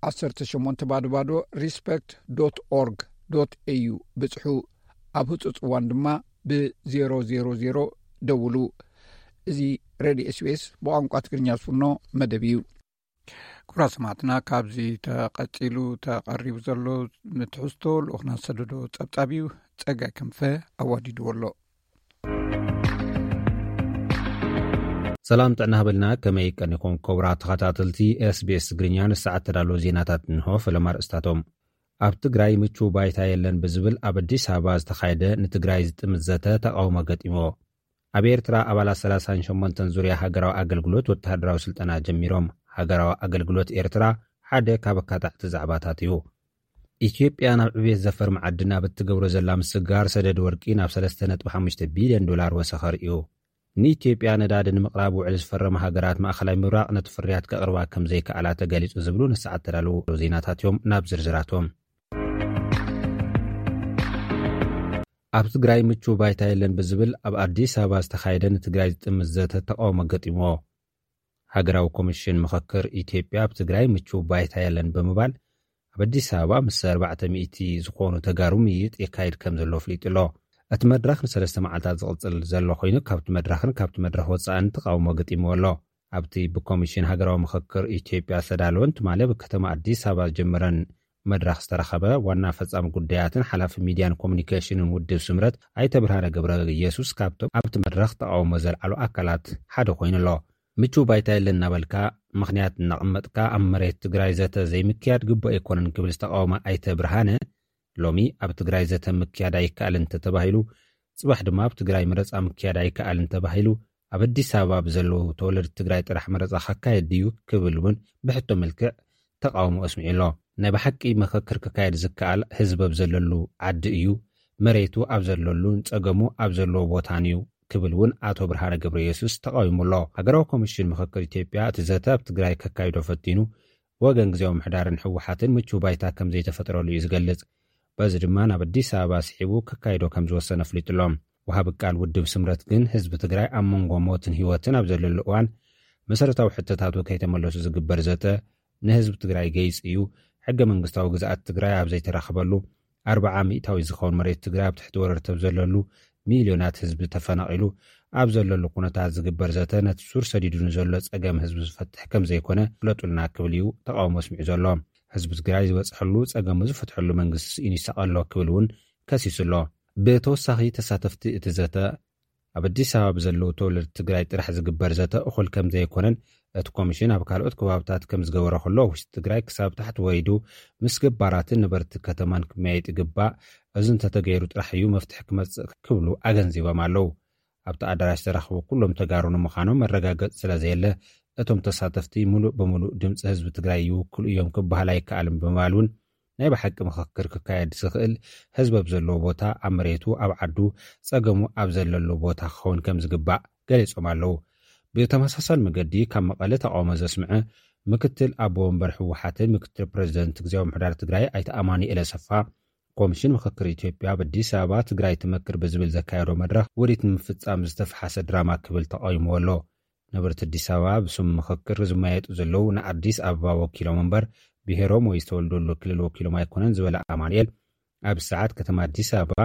18 ባዶ ባዶ respect dot org dot au ብጽሑ። ኣብ ህጹጽ እዋን ድማ ብ000 ደውሉ። እዚ ሬድዮ ኤስቢኤስ ብቋንቋ ትግርኛ ዝፍኖ መደብ እዩ። ክቡራት ሰማዕትና፣ ካብዚ ተቐጺሉ ተቐሪቡ ዘሎ ምትሕዝቶ ልኡኽና ዝሰደዶ ጸብጻብ እዩ። ጸጋይ ክንፈ ኣዋዲድዎ ኣሎ። ሰላም ጥዕና ሃበልና። ከመይ ቀኒኹም ክቡራት ተኸታተልቲ ኤስቢኤስ ትግርኛ? ንሰዓት ተዳለዉ ዜናታት እንሆ። ፈለማ ኣርእስታቶም። ኣብ ትግራይ ምቹው ባይታ የለን ብዝብል ኣብ ኣዲስ ኣበባ ዝተኻየደ ንትግራይ ዝጥምት ዘተ ተቓውሞ ገጢምዎ። ኣብ ኤርትራ ኣባላት 38 ዙርያ ሃገራዊ ኣገልግሎት ወተሃደራዊ ስልጠና ጀሚሮም። ሃገራዊ ኣገልግሎት ኤርትራ ሓደ ካብ ኣካታዕቲ ዛዕባታት እዩ። ኢትዮጵያ ናብ ዕቤት ዘፈር መዓድን ኣብ እትገብሮ ዘላ ምስግጋር ሰደድ ወርቂ ናብ 3.5 ቢልዮን ዶላር ወሰኸር እዩ። ንኢትዮጵያ ነዳዲ ንምቕራብ ውዕል ዝፈረማ ሃገራት ማእኸላይ ምብራቕ ነቲ ፍርያት ከቕርባ ከም ዘይከኣላ ተገሊጹ ዝብሉ ንሰዓት ተዳለዉ ዜናታት እዮም። ናብ ዝርዝራቶም። ኣብ ትግራይ ምቹው ባይታ የለን ብዝብል ኣብ ኣዲስ ኣበባ ዝተኻየደ ንትግራይ ዝጥምት ዘተ ተቃውሞ ገጢምዎ። ሃገራዊ ኮሚሽን ምኽክር ኢትዮጵያ ኣብ ትግራይ ምቹው ባይታ የለን ብምባል ኣብ ኣዲስ ኣበባ ምስ ኣርባዕተ ሚእቲ ዝኾኑ ተጋሩ ምይይጥ የካይድ ከም ዘሎ ኣፍሊጡ ኣሎ። እቲ መድረኽ ንሰለስተ መዓልታት ዝቕጽል ዘሎ ኮይኑ ካብቲ መድረኽን ካብቲ መድረኽ ወጻእን ተቃውሞ ገጢምዎ ኣሎ። ኣብቲ ብኮሚሽን ሃገራዊ ምኽክር ኢትዮጵያ ዝተዳለወን ትማሊ ኣብ ከተማ ኣዲስ ኣበባ ዝጀመረን መድረኽ ዝተረኸበ ዋና ፈጻሚ ጉዳያትን ሓላፊ ሚድያን ኮሙኒኬሽንን ውድብ ስምረት ኣይተ ብርሃነ ገብረ ኢየሱስ ካብቶም ኣብቲ መድረኽ ተቃውሞ ዘልዓሉ ኣካላት ሓደ ኮይኑ ኣሎ። ምቹው ባይታ የለን እናበልካ ምኽንያት እናቐመጥካ ኣብ መሬት ትግራይ ዘተ ዘይምክያድ ግቡእ ኣይኮነን ክብል ዝተቃወመ ኣይተ ብርሃነ ሎሚ ኣብ ትግራይ ዘተ ምክያድ ኣይከኣልን እንተተባሂሉ ጽባሕ ድማ ኣብ ትግራይ መረፃ ምክያድ ኣይከኣልን ተባሂሉ ኣብ ኣዲስ ኣበባ ብዘለዉ ተወለድቲ ትግራይ ጥራሕ መረፃ ከካየድ ድዩ ክብል እውን ብሕቶ መልክዕ ተቃውሞ ኣስሚዑ ኣሎ። ናይ ብሓቂ ምኽክር ክካየድ ዝከኣል ህዝቢ ኣብ ዘለሉ ዓዲ እዩ። መሬቱ ኣብ ዘለሉን ጸገሙ ኣብ ዘለዎ ቦታን እዩ ክብል እውን ኣቶ ብርሃነ ገብረ የሱስ ተቃዊሙ ኣሎ። ሃገራዊ ኮሚሽን ምኽክር ኢትዮጵያ እቲ ዘተ ኣብ ትግራይ ከካይዶ ፈቲኑ ወገን ግዜያዊ ምሕዳርን ህወሓትን ምቹው ባይታ ከም ዘይተፈጥረሉ እዩ ዝገልጽ። በዚ ድማ ናብ ኣዲስ ኣበባ ስሒቡ ከካይዶ ከም ዝወሰነ ኣፍሊጡ ኣሎ። ወሃቢ ቃል ውድብ ስምረት ግን ህዝቢ ትግራይ ኣብ መንጎ ሞትን ህይወትን ኣብ ዘለሉ እዋን መሰረታዊ ሕቶታቱ ከይተመለሱ ዝግበር ዘተ ንህዝቢ ትግራይ ገይጽ እዩ። ሕገ መንግስታዊ ግዝኣት ትግራይ ኣብ ዘይተረኸበሉ ኣርብዓ ሚእታዊ ዝኸውን መሬት ትግራይ ኣብ ትሕቲ ወረርቲ ኣብ ዘለሉ ሚልዮናት ህዝቢ ተፈናቒሉ ኣብ ዘለሉ ኩነታት ዝግበር ዘተ ነቲ ሱር ሰዲዱ ንዘሎ ጸገም ህዝቢ ዝፈትሕ ከም ዘይኮነ ፍለጡልና ክብል እዩ ተቃውሞ ኣስሚዑ ዘሎ። ህዝቢ ትግራይ ዝበጽሐሉ ጸገሙ ዝፈትሐሉ መንግስቲ ስኢኑ ይሳቐ ኣሎ ክብል እውን ከሲሱ ኣሎ። ብተወሳኺ ተሳተፍቲ እቲ ዘተ ኣብ ኣዲስ ኣበባ ብዘለዉ ተወለድቲ ትግራይ ጥራሕ ዝግበር ዘተ እኹል ከም ዘይኮነን እቲ ኮሚሽን ኣብ ካልኦት ከባብታት ከም ዝገበረ ከሎ፣ ውሽጢ ትግራይ ክሳብ ታሕቲ ወሪዱ ምስ ገባራትን ነበርቲ ከተማን ክመያየጥ ይግባእ። እዚ እንተተገይሩ ጥራሕ እዩ መፍትሒ ክመጽእ ክብሉ ኣገንዚቦም ኣለዉ። ኣብቲ ኣዳራሽ ዝተረኸቡ ኩሎም ተጋሩ ንምዃኖም መረጋገጺ ስለ ዘየለ፣ እቶም ተሳተፍቲ ሙሉእ ብሙሉእ ድምፂ ህዝቢ ትግራይ ይውክሉ እዮም ክበሃል ኣይከኣልን ብምባል እውን ናይ ብሓቂ ምኽክር ክካየድ ዝኽእል ህዝቢ ኣብ ዘለዎ ቦታ፣ ኣብ መሬቱ፣ ኣብ ዓዱ፣ ጸገሙ ኣብ ዘለሉ ቦታ ክኸውን ከም ዝግባእ ገሊጾም ኣለዉ። ብተመሳሳሊ መገዲ ካብ መቐለ ተቃውሞ ዘስምዐ ምክትል ኣቦ ወንበር ህወሓትን ምክትል ፕሬዚደንት ግዜያዊ ምምሕዳር ትግራይ ኣይተ ኣማኑኤል ኣሰፋ፣ ኮሚሽን ምኽክር ኢትዮጵያ ኣብ ኣዲስ ኣበባ ትግራይ ትመክር ብዝብል ዘካየዶ መድረኽ ውዲት ንምፍጻም ዝተፈሓሰ ድራማ ክብል ተቃዊምዎ ኣሎ። ነበርቲ ኣዲስ ኣበባ ብስም ምኽክር ዝመያየጡ ዘለዉ ንኣዲስ ኣበባ ወኪሎም እምበር ብሄሮም ወይ ዝተወልደሉ ክልል ወኪሎም ኣይኮነን ዝበለ ኣማኑኤል፣ ኣብ ሰዓት ከተማ ኣዲስ ኣበባ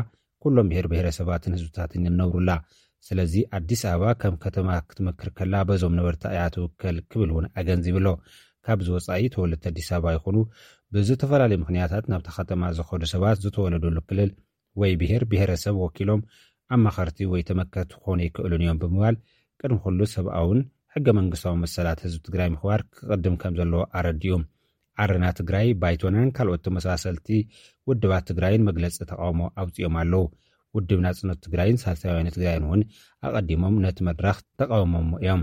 ኩሎም ብሄር ብሄረሰባትን ህዝብታትን ይነብሩላ። ስለዚ ኣዲስ ኣበባ ከም ከተማ ክትመክር ከላ በዞም ነበርቲ እያ ትውከል ክብል እውን ኣገንዚቡ ኣሎ። ካብዚ ወጻኢ ተወለድቲ ኣዲስ ኣበባ ይኹኑ ብዝተፈላለዩ ምኽንያታት ናብታ ከተማ ዝኸዱ ሰባት ዝተወለደሉ ክልል ወይ ብሄር ብሄረሰብ ወኪሎም ኣማኸርቲ ወይ ተመከርቲ ክኾኑ ኣይክእሉን እዮም ብምባል ቅድሚ ኩሉ ሰብኣውን ሕገ መንግስታዊ መሰላት ህዝቢ ትግራይ ምኽባር ክቕድም ከም ዘለዎ ኣረዲኡ። ዓረና ትግራይ፣ ባይቶናን ካልኦት ተመሳሰልቲ ውድባት ትግራይን መግለፂ ተቃውሞ ኣውፂኦም ኣለዉ። ውድብ ናፅነት ትግራይን ሳልሳይ ወያነ ትግራይን እውን ኣቐዲሞም ነቲ መድረኽ ተቃውሞሞ እዮም።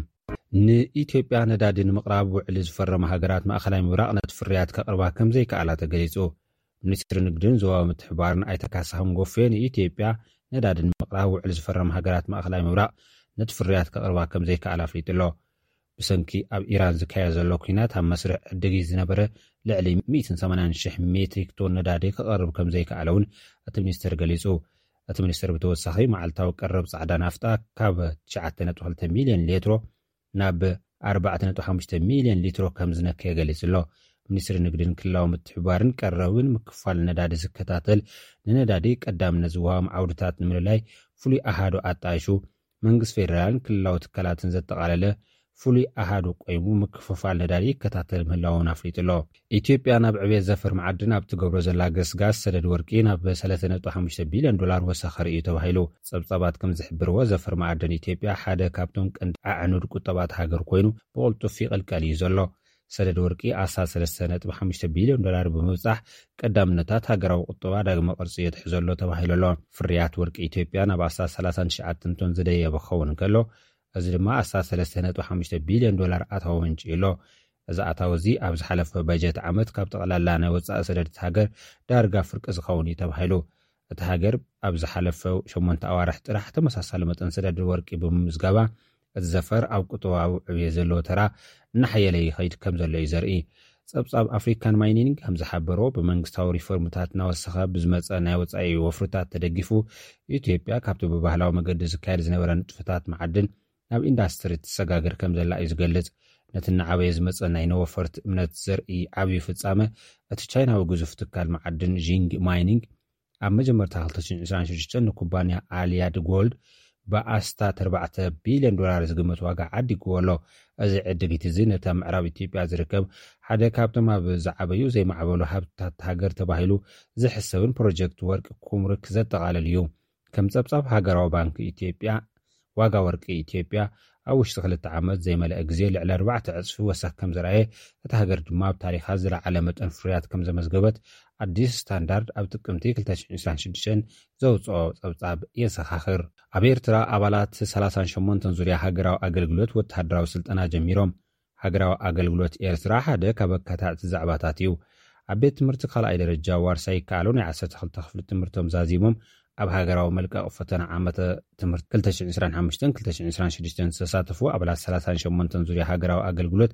ንኢትዮጵያ ነዳዲ ንምቕራብ ውዕሊ ዝፈረማ ሃገራት ማእኸላይ ምብራቕ ነቲ ፍርያት ከቕርባ ከም ዘይከኣላ ተገሊጹ። ሚኒስትሪ ንግድን ዞባዊ ምትሕብባርን ኣይተ ካሳሁን ጎፌ ንኢትዮጵያ ነዳዲ ንምቕራብ ውዕሊ ዝፈረማ ሃገራት ማእኸላይ ምብራቕ ነቲ ፍርያት ከቕርባ ከም ዘይከኣላ ኣፍሊጡ ኣሎ። ብሰንኪ ኣብ ኢራን ዝካየድ ዘሎ ኲናት ኣብ መስርሕ ዕድጊት ዝነበረ ልዕሊ ሚእትን ሰማንያን ሽሕ ሜትሪክ ቶን ነዳዲ ክቐርብ ከም ዘይከኣለ እውን እቲ ሚኒስትር ገሊጹ። እቲ ሚኒስትር ብተወሳኺ መዓልታዊ ቀረብ ጻዕዳ ናፍጣ ካብ ትሽዓተ ነጥቢ ክልተ ሚልዮን ሌትሮ ናብ ኣርባዕተ ነጥቢ ሓሙሽተ ሚልዮን ሊትሮ ከም ዝነከየ ገሊጹ ኣሎ። ሚኒስትሪ ንግድን ክልላዊ ምትሕብባርን ቀረብን ምክፋል ነዳዲ ዝከታተል፣ ንነዳዲ ቀዳምነት ዝወሃቦም ዓውድታት ንምልላይ ፍሉይ ኣሃዱ ኣጣይሹ፣ መንግስቲ ፌደራልን ክልላዊ ትካላትን ዘጠቓለለ ፍሉይ ኣሃዱ ቆይሙ ምክፍፋል ነዳዲ ይከታተል ምህላውን ኣፍሊጡ ኣሎ። ኢትዮጵያ ናብ ዕብየት ዘፈር መዓድን ኣብ ትገብሮ ዘላ ገስጋስ፣ ሰደድ ወርቂ ናብ ሰለስተ ነጥቢ ሓሙሽተ ቢልዮን ዶላር ወሰኸ ርእዩ ተባሂሉ። ጸብጻባት ከም ዝሕብርዎ፣ ዘፈር መዓድን ኢትዮጵያ ሓደ ካብቶም ቀንዲ ኣዕኑድ ቁጠባ እታ ሃገር ኮይኑ፣ ብቕልጡፍ ይቕልቀል እዩ ዘሎ። ሰደድ ወርቂ ኣስታት ሰለስተ ነጥቢ ሓሙሽተ ቢልዮን ዶላር ብምብጻሕ፣ ቀዳምነታት ሃገራዊ ቁጠባ ዳግመ ቅርጺ የትሕዞ ኣሎ ተባሂሉ ኣሎ። ፍርያት ወርቂ ኢትዮጵያ ናብ ኣስታት ሰላሳን ትሽዓተን ቶን ዝደየበ ክኸውን እንከሎ፣ እዚ ድማ ኣስታት ሰለስተ ነጥቢ ሓሙሽተ ቢልዮን ዶላር ኣታዊ ኣምጺኡ ኣሎ። እዚ ኣታዊ እዚ ኣብ ዝሓለፈ በጀት ዓመት ካብ ጠቕላላ ናይ ወጻኢ ሰደድ እታ ሃገር ዳርጋ ፍርቂ ዝኸውን እዩ ተባሂሉ። እታ ሃገር ኣብ ዝሓለፈ ሸሞንተ ኣዋርሕ ጥራሕ ተመሳሳሊ መጠን ሰደድ ወርቂ ብምምዝጋባ፣ እቲ ዘፈር ኣብ ቁጠባዊ ዕብየት ዘለዎ ተራ እናሓየለ ይኸይድ ከም ዘሎ እዩ ዘርኢ። ጸብጻብ ኣፍሪካን ማይኒንግ ከም ዝሓበሮ፣ ብመንግስታዊ ሪፎርምታት እናወሰኸ ብዝመጸ ናይ ወጻኢ ወፍርታት ተደጊፉ፣ ኢትዮጵያ ካብቲ ብባህላዊ መገዲ ዝካየድ ዝነበረ ንጥፈታት መዓድን ናብ ኢንዳስትሪ ትሰጋገር ከም ዘላ እዩ ዝገልጽ። ነቲ እናዓበየ ዝመጸ ናይ ነወፈርቲ እምነት ዘርኢ ዓብዩ ፍጻመ፣ እቲ ቻይናዊ ግዙፍ ትካል መዓድን ዢንግ ማይኒንግ ኣብ መጀመርታ ክልተ ሽሕን ዕስራን ሽዱሽተን ንኩባንያ ኣልያድ ጎልድ ብኣስታት ኣርባዕተ ቢልዮን ዶላር ዝግመት ዋጋ ዓዲግዎ ኣሎ። እዚ ዕድጊት እዚ ነቲ ኣብ ምዕራብ ኢትዮጵያ ዝርከብ ሓደ ካብቶም ኣብ ዝዓበዩ ዘይማዕበሉ ሃብትታት ሃገር ተባሂሉ ዝሕሰብን ፕሮጀክት ወርቂ ኩምርክ ዘጠቓልል እዩ። ከም ጸብጻብ ሃገራዊ ባንክ ኢትዮጵያ፣ ዋጋ ወርቂ ኢትዮጵያ ኣብ ውሽጢ ክልተ ዓመት ዘይመልአ ግዜ ልዕሊ ኣርባዕተ ዕጽፊ ወሰኽ ከም ዘርኣየ፣ እታ ሃገር ድማ ኣብ ታሪኻ ዝለዓለ መጠን ፍርያት ከም ዘመዝገበት ኣዲስ ስታንዳርድ ኣብ ጥቅምቲ ክልተ ሽሕን ዕስራን ሽዱሽተን ዘውጽኦ ጸብጻብ የዘኻኽር። ኣብ ኤርትራ ኣባላት ሰላሳን ሸሞንተን ዙርያ ሃገራዊ ኣገልግሎት ወተሃደራዊ ስልጠና ጀሚሮም። ሃገራዊ ኣገልግሎት ኤርትራ ሓደ ካብ ኣካታዕቲ ዛዕባታት እዩ። ኣብ ቤት ትምህርቲ ካልኣይ ደረጃ ዋርሳይ ይከኣሉ ናይ ዓሰርተ ክልተ ክፍሊ ትምህርቶም ዛዚሞም ኣብ ሃገራዊ መልቀቕ ፈተና ዓመተ ትምህርቲ ክልተ ሽሕን ዕስራን ሓሙሽተን ክልተ ሽሕን ዕስራን ሽዱሽተን ዝተሳተፉ ኣባላት ሰላሳን ሸሞንተን ዙርያ ሃገራዊ ኣገልግሎት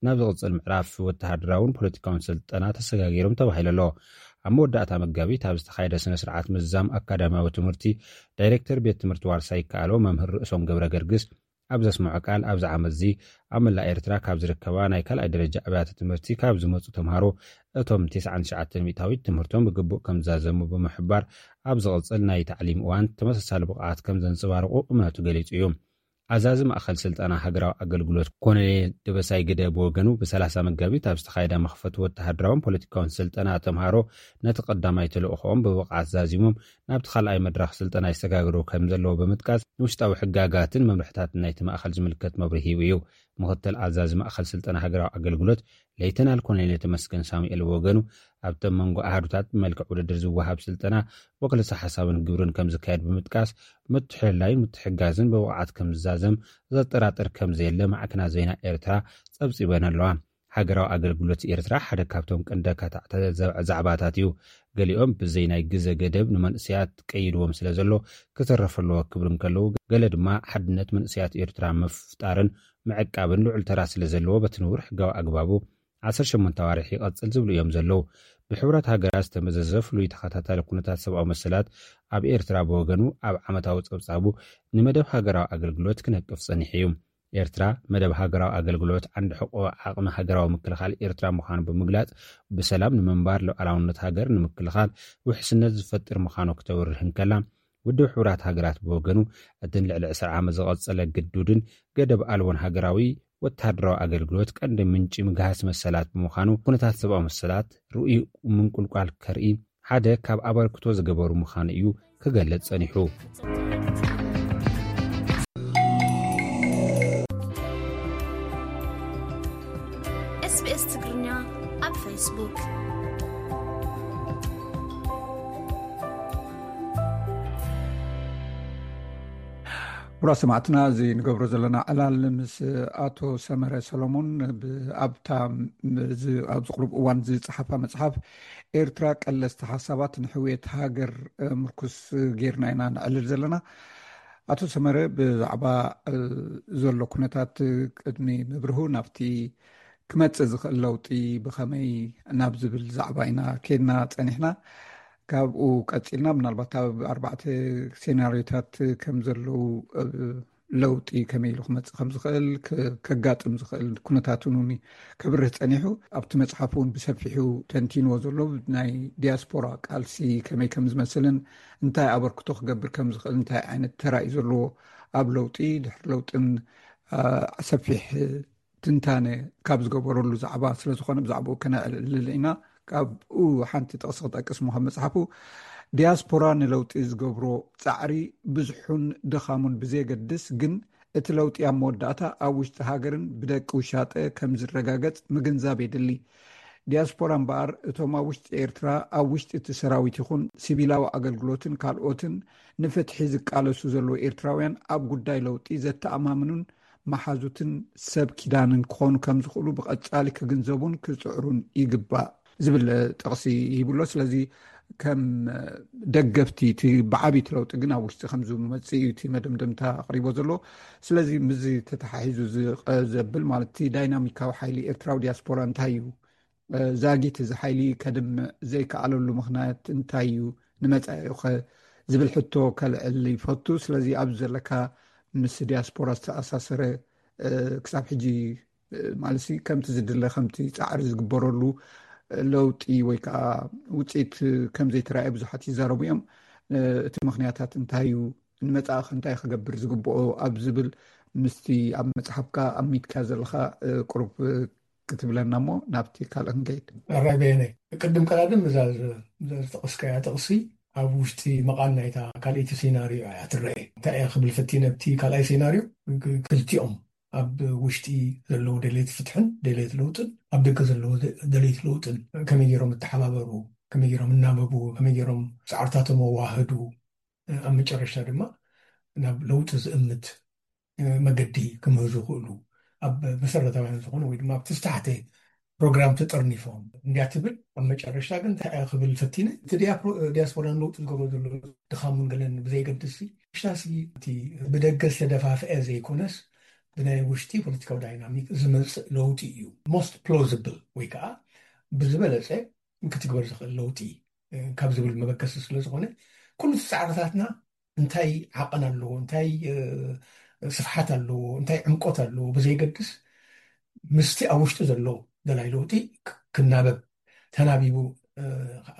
ናብ ዝቕጽል ምዕራፍ ወተሃደራውን ፖለቲካውን ስልጠና ተሰጋጊሮም ተባሂሉ ኣሎ። ኣብ መወዳእታ መጋቢት ኣብ ዝተኻየደ ስነ ስርዓት ምዝዛም ኣካዳሚያዊ ትምህርቲ፣ ዳይሬክተር ቤት ትምህርቲ ዋርሳይ ይከኣሎ መምህር ርእሶም ገብረ ገርግስ ኣብ ዘስምዖ ቃል፣ ኣብዚ ዓመት እዚ ኣብ መላእ ኤርትራ ካብ ዝርከባ ናይ ካልኣይ ደረጃ ኣብያተ ትምህርቲ ካብ ዝመጹ ተምሃሮ፣ እቶም ተስዓን ትሽዓተን ሚእታዊት ትምህርቶም ብግቡእ ከም ዝዛዘሙ ብምሕባር፣ ኣብ ዝቕጽል ናይ ታዕሊም እዋን ተመሳሳሊ ብቕዓት ከም ዘንጸባርቑ እምነቱ ገሊጹ እዩ። ኣዛዚ ማእኸል ስልጠና ሃገራዊ ኣገልግሎት ኮሎኔል ደበሳይ ግደ ብወገኑ፣ ብ30 መጋቢት ኣብ ዝተኻየደ መኽፈቲ ወተሃደራውን ፖለቲካውን ስልጠና፣ ተምሃሮ ነቲ ቀዳማይ ተልእኾኦም ብብቕዓት ዛዚሞም ናብቲ ካልኣይ መድረኽ ስልጠና ይሰጋገሩ ከም ዘለዎ ብምጥቃስ፣ ንውሽጣዊ ሕጋጋትን መምርሕታትን ናይቲ ማእኸል ዝምልከት መብርሂ ሂቡ እዩ። ምኽትል ኣዛዚ ማእኸል ስልጠና ሃገራዊ ኣገልግሎት ሌተናል ኮሎኔል ተመስገን ሳሙኤል ብወገኑ፣ ኣብቲ መንጎ ኣሃዱታት ብመልክዕ ውድድር ዝወሃብ ስልጠና፣ ወክልሰ ሓሳብን ግብርን ከም ዝካየድ ብምጥቃስ፣ ምትሕልላይን ምትሕጋዝን ብብቕዓት ከም ዝዛዘም ዘጠራጥር ከም ዘየለ ማዕከናት ዜና ኤርትራ ጸብጺበን ኣለዋ። ሃገራዊ ኣገልግሎት ኤርትራ ሓደ ካብቶም ቀንዲ ኣካታዕቲ ዛዕባታት እዩ። ገሊኦም ብዘይ ናይ ግዘ ገደብ ንመንእሰያት ቀይድዎም ስለ ዘሎ ክተረፍ ኣለዎ ክብሉ እንከለዉ፣ ገለ ድማ ሓድነት መንእሰያት ኤርትራ ምፍጣርን ምዕቃብን ልዑል ተራ ስለ ዘለዎ፣ በቲ ንቡር ሕጋዊ ኣግባቡ ዓሰርተ ሸሞንተ ኣዋርሕ ይቐጽል ዝብሉ እዮም ዘለዉ። ብሕቡራት ሃገራት ዝተመዘዘ ፍሉይ ተኸታታሊ ኩነታት ሰብኣዊ መሰላት ኣብ ኤርትራ ብወገኑ፣ ኣብ ዓመታዊ ጸብጻቡ ንመደብ ሃገራዊ ኣገልግሎት ክነቅፍ ጸኒሑ እዩ። ኤርትራ፣ መደብ ሃገራዊ ኣገልግሎት ዓንዲ ሕቆ ዓቕሚ ሃገራዊ ምክልኻል ኤርትራ ምዃኑ ብምግላጽ፣ ብሰላም ንምንባር፣ ሉዓላውነት ሃገር ንምክልኻል ውሕስነት ዝፈጥር ምዃኑ ክተብርህ እንከላ፣ ውድብ ሕቡራት ሃገራት ብወገኑ፣ እቲ ንልዕሊ ዕስራ ዓመት ዝቐጸለ ግዱድን ገደብ ኣልቦን ሃገራዊ ወተሃደራዊ ኣገልግሎት ቀንዲ ምንጪ ምግሃስ መሰላት ብምዃኑ፣ ኩነታት ሰብኣዊ መሰላት ርኡይ ምንቁልቋል ከርኢ ሓደ ካብ ኣበርክቶ ዝገበሩ ምዃኑ እዩ ክገልጽ ጸኒሑ። SBS ትግርኛ ኣብ ፌስቡክ። ክቡራት ሰማዕትና፣ እዚ ንገብሮ ዘለና ዕላል ምስ ኣቶ ሰመረ ሰሎሞን ብ-፣ ኣብታ ም-፣ እዚ ኣብዚ ቁሩብ እዋን ዝጸሓፋ መጽሓፍ ኤርትራ ቀለስቲ ሓሳባት ንሕውየት ሃገር፣ እ፣ ምርኩስ ጌርና ኢና ነዕልል ዘለና። ኣቶ ሰመረ፣ ብዛዕባ፣ እ፣ ዘሎ ኩነታት ቅድሚ ምብርሁ ናብቲ ክመጽእ ዝኽእል ለውጢ ብኸመይ ናብ ዝብል ዛዕባ ኢና ኬድና ጸኒሕና። ካብኡ ቀጺልና ምናልባት ኣብ ኣርባዕተ ሴናሪዮታት ከም ዘለዉ፣ እ፣ ለውጢ ከመይ ኢሉ ክመጽእ ከም ዝኽእል፣ ክ-፣ ከጋጥም ዝኽእል ኩነታት እውን ከብርህ ጸኒሑ። ኣብቲ መጽሓፍ እውን ብሰፊሑ ተንቲንዎ ዘሎ ናይ ዲያስፖራ ቃልሲ ከመይ ከም ዝመስልን እንታይ ኣበርክቶ ክገብር ከም ዝኽእል፣ እንታይ ዓይነት ተራ እዩ ዘለዎ ኣብ ለውጢ፣ ድሕሪ ለውጥን፣ አ፣ ሰፊሕ ትንታነ ካብ ዝገበረሉ ዛዕባ ስለ ዝኾነ ብዛዕባኡ ከነዕልል ኢና። ካብኡ ሓንቲ ጥቕሲ ክጠቅስ እሞ ካብ መጽሓፉ፣ ዲያስፖራ ንለውጢ ዝገብሮ ጻዕሪ ብዙሑን ድኻሙን ብዘየገድስ፣ ግን እቲ ለውጢ ኣብ መወዳእታ ኣብ ውሽጢ ሃገርን ብደቂ ውሻጠ ከም ዝረጋገጽ ምግንዛብ የድሊ። ዲያስፖራ እምበኣር፣ እቶም ኣብ ውሽጢ ኤርትራ፣ ኣብ ውሽጢ እቲ ሰራዊት ይኹን ሲቪላዊ ኣገልግሎትን ካልኦትን ንፍትሒ ዝቃለሱ ዘለዉ ኤርትራውያን፣ ኣብ ጉዳይ ለውጢ ዘተኣማምኑን መሓዙትን ሰብ ኪዳንን ክኾኑ ከም ዝኽእሉ ብቐጻሊ ክግንዘቡን ክጽዕሩን ይግባእ ዝብል ጥቕሲ ሂቡ ኣሎ። ስለዚ ከም ደገፍቲ እቲ ብዓቢ እቲ ለውጢ ግን ኣብ ውሽጢ ከም ዝመጽእ እዩ እቲ መደምደምታ ኣቕሪቦ ዘሎ። ስለዚ ምስዚ ተተሓሒዙ ዝቐ-፣ ዘብል ማለት እቲ ዳይናሚካዊ ሓይሊ ኤርትራዊ ዲያስፖራ እንታይ እዩ? እ፣ ዛጊት እዚ ሓይሊ ከድምዕ ዘይከኣለሉ ምኽንያት እንታይ እዩ? ንመጻኢኡኸ ዝብል ሕቶ ከልዕል ይፈቱ። ስለዚ ኣብዚ ዘለካ ምስ ዲያስፖራ ዝተኣሳሰረ፣ እ፣ ክሳብ ሕጂ፣ እ፣ ማለት ሲ ከምቲ ዝድለ፣ ከምቲ ጻዕሪ ዝግበረሉ፣ እ፣ ለውጢ ወይ ከዓ ውጽኢት ከም ዘይተራእየ ብዙሓት ይዛረቡ እዮም። እ፣ እቲ ምኽንያታት እንታይ እዩ? ንመጻኢኸ እንታይ ክገብር ዝግብኦ ኣብ ዝብል ምስቲ ኣብ መጽሓፍካ ኣሚትካ ዘለኻ፣ እ፣ ቁሩብ፣ እ፣ ክትብለና እሞ ናብቲ ካልእ ክንከይድ። ኣራይ በየነ፣ ቅድም ቀዳድም እዛ ዝ-፣ እዛ ዝጠቐስካያ ጥቕሲ ኣብ ውሽጢ መቓን ናይታ ካልኣይቲ ሴናርዮ እያ ትረአ። እንታይ እያ ክብል ፈቲነ፣ ኣብቲ ካልኣይ ሴናርዮ ክ-፣ ክልቲኦም ኣብ ውሽጢ ዘለዉ ደለይቲ ፍትሕን ደለይቲ ለውጥን ኣብ ደገ ዘለዉ ደ-፣ ደለይቲ ለውጥን ከመይ ገይሮም ይተሓባበሩ፣ ከመይ ገይሮም ይናበቡ፣ ከመይ ገይሮም ጻዕርታቶም ኣዋህዱ፣ ኣብ መጨረሽታ ድማ ናብ ለውጢ ዝእምት፣ እ፣ መገዲ ክምህዙ ይኽእሉ። ኣብ መሰረታውያን ዝኾኑ ወይ ድማ ኣብቲ ዝተሓተ ፕሮግራም ተጠርኒፎም እንድያ ትብል። ኣብ መጨረሽታ ግን እንታይ እያ ክብል ፈቲነ፣ እቲ ዲያፕሮ-፣ ዲያስፖራ ንለውጢ ዝገብሮ ዘሎ ድኻሙን ገለን ብዘይገድስ፣ ሽታሲ እቲ ብደገ ዝተደፋፍአ ዘይኮነስ ብናይ ውሽጢ ፖለቲካዊ ዳይናሚክ ዝመጽእ ለውጢ እዩ። ሞስት ፕሎዚብል ወይ ከዓ ብዝበለጸ ክትግበር ዝኽእል ለውጢ፣ እ፣ ካብ ዝብል መበገሲ ስለ ዝኾነ፣ ኩሉ እቲ ጻዕርታትና እንታይ ዓቐን ኣለዎ፣ እንታይ፣ እ፣ ስፍሓት ኣለዎ፣ እንታይ ዕምቆት ኣለዎ ብዘይገድስ፣ ምስቲ ኣብ ውሽጢ ዘሎ ደላይ ለውጢ ክ-፣ ክናበብ፣ ተናቢቡ፣ እ፣ ከዓ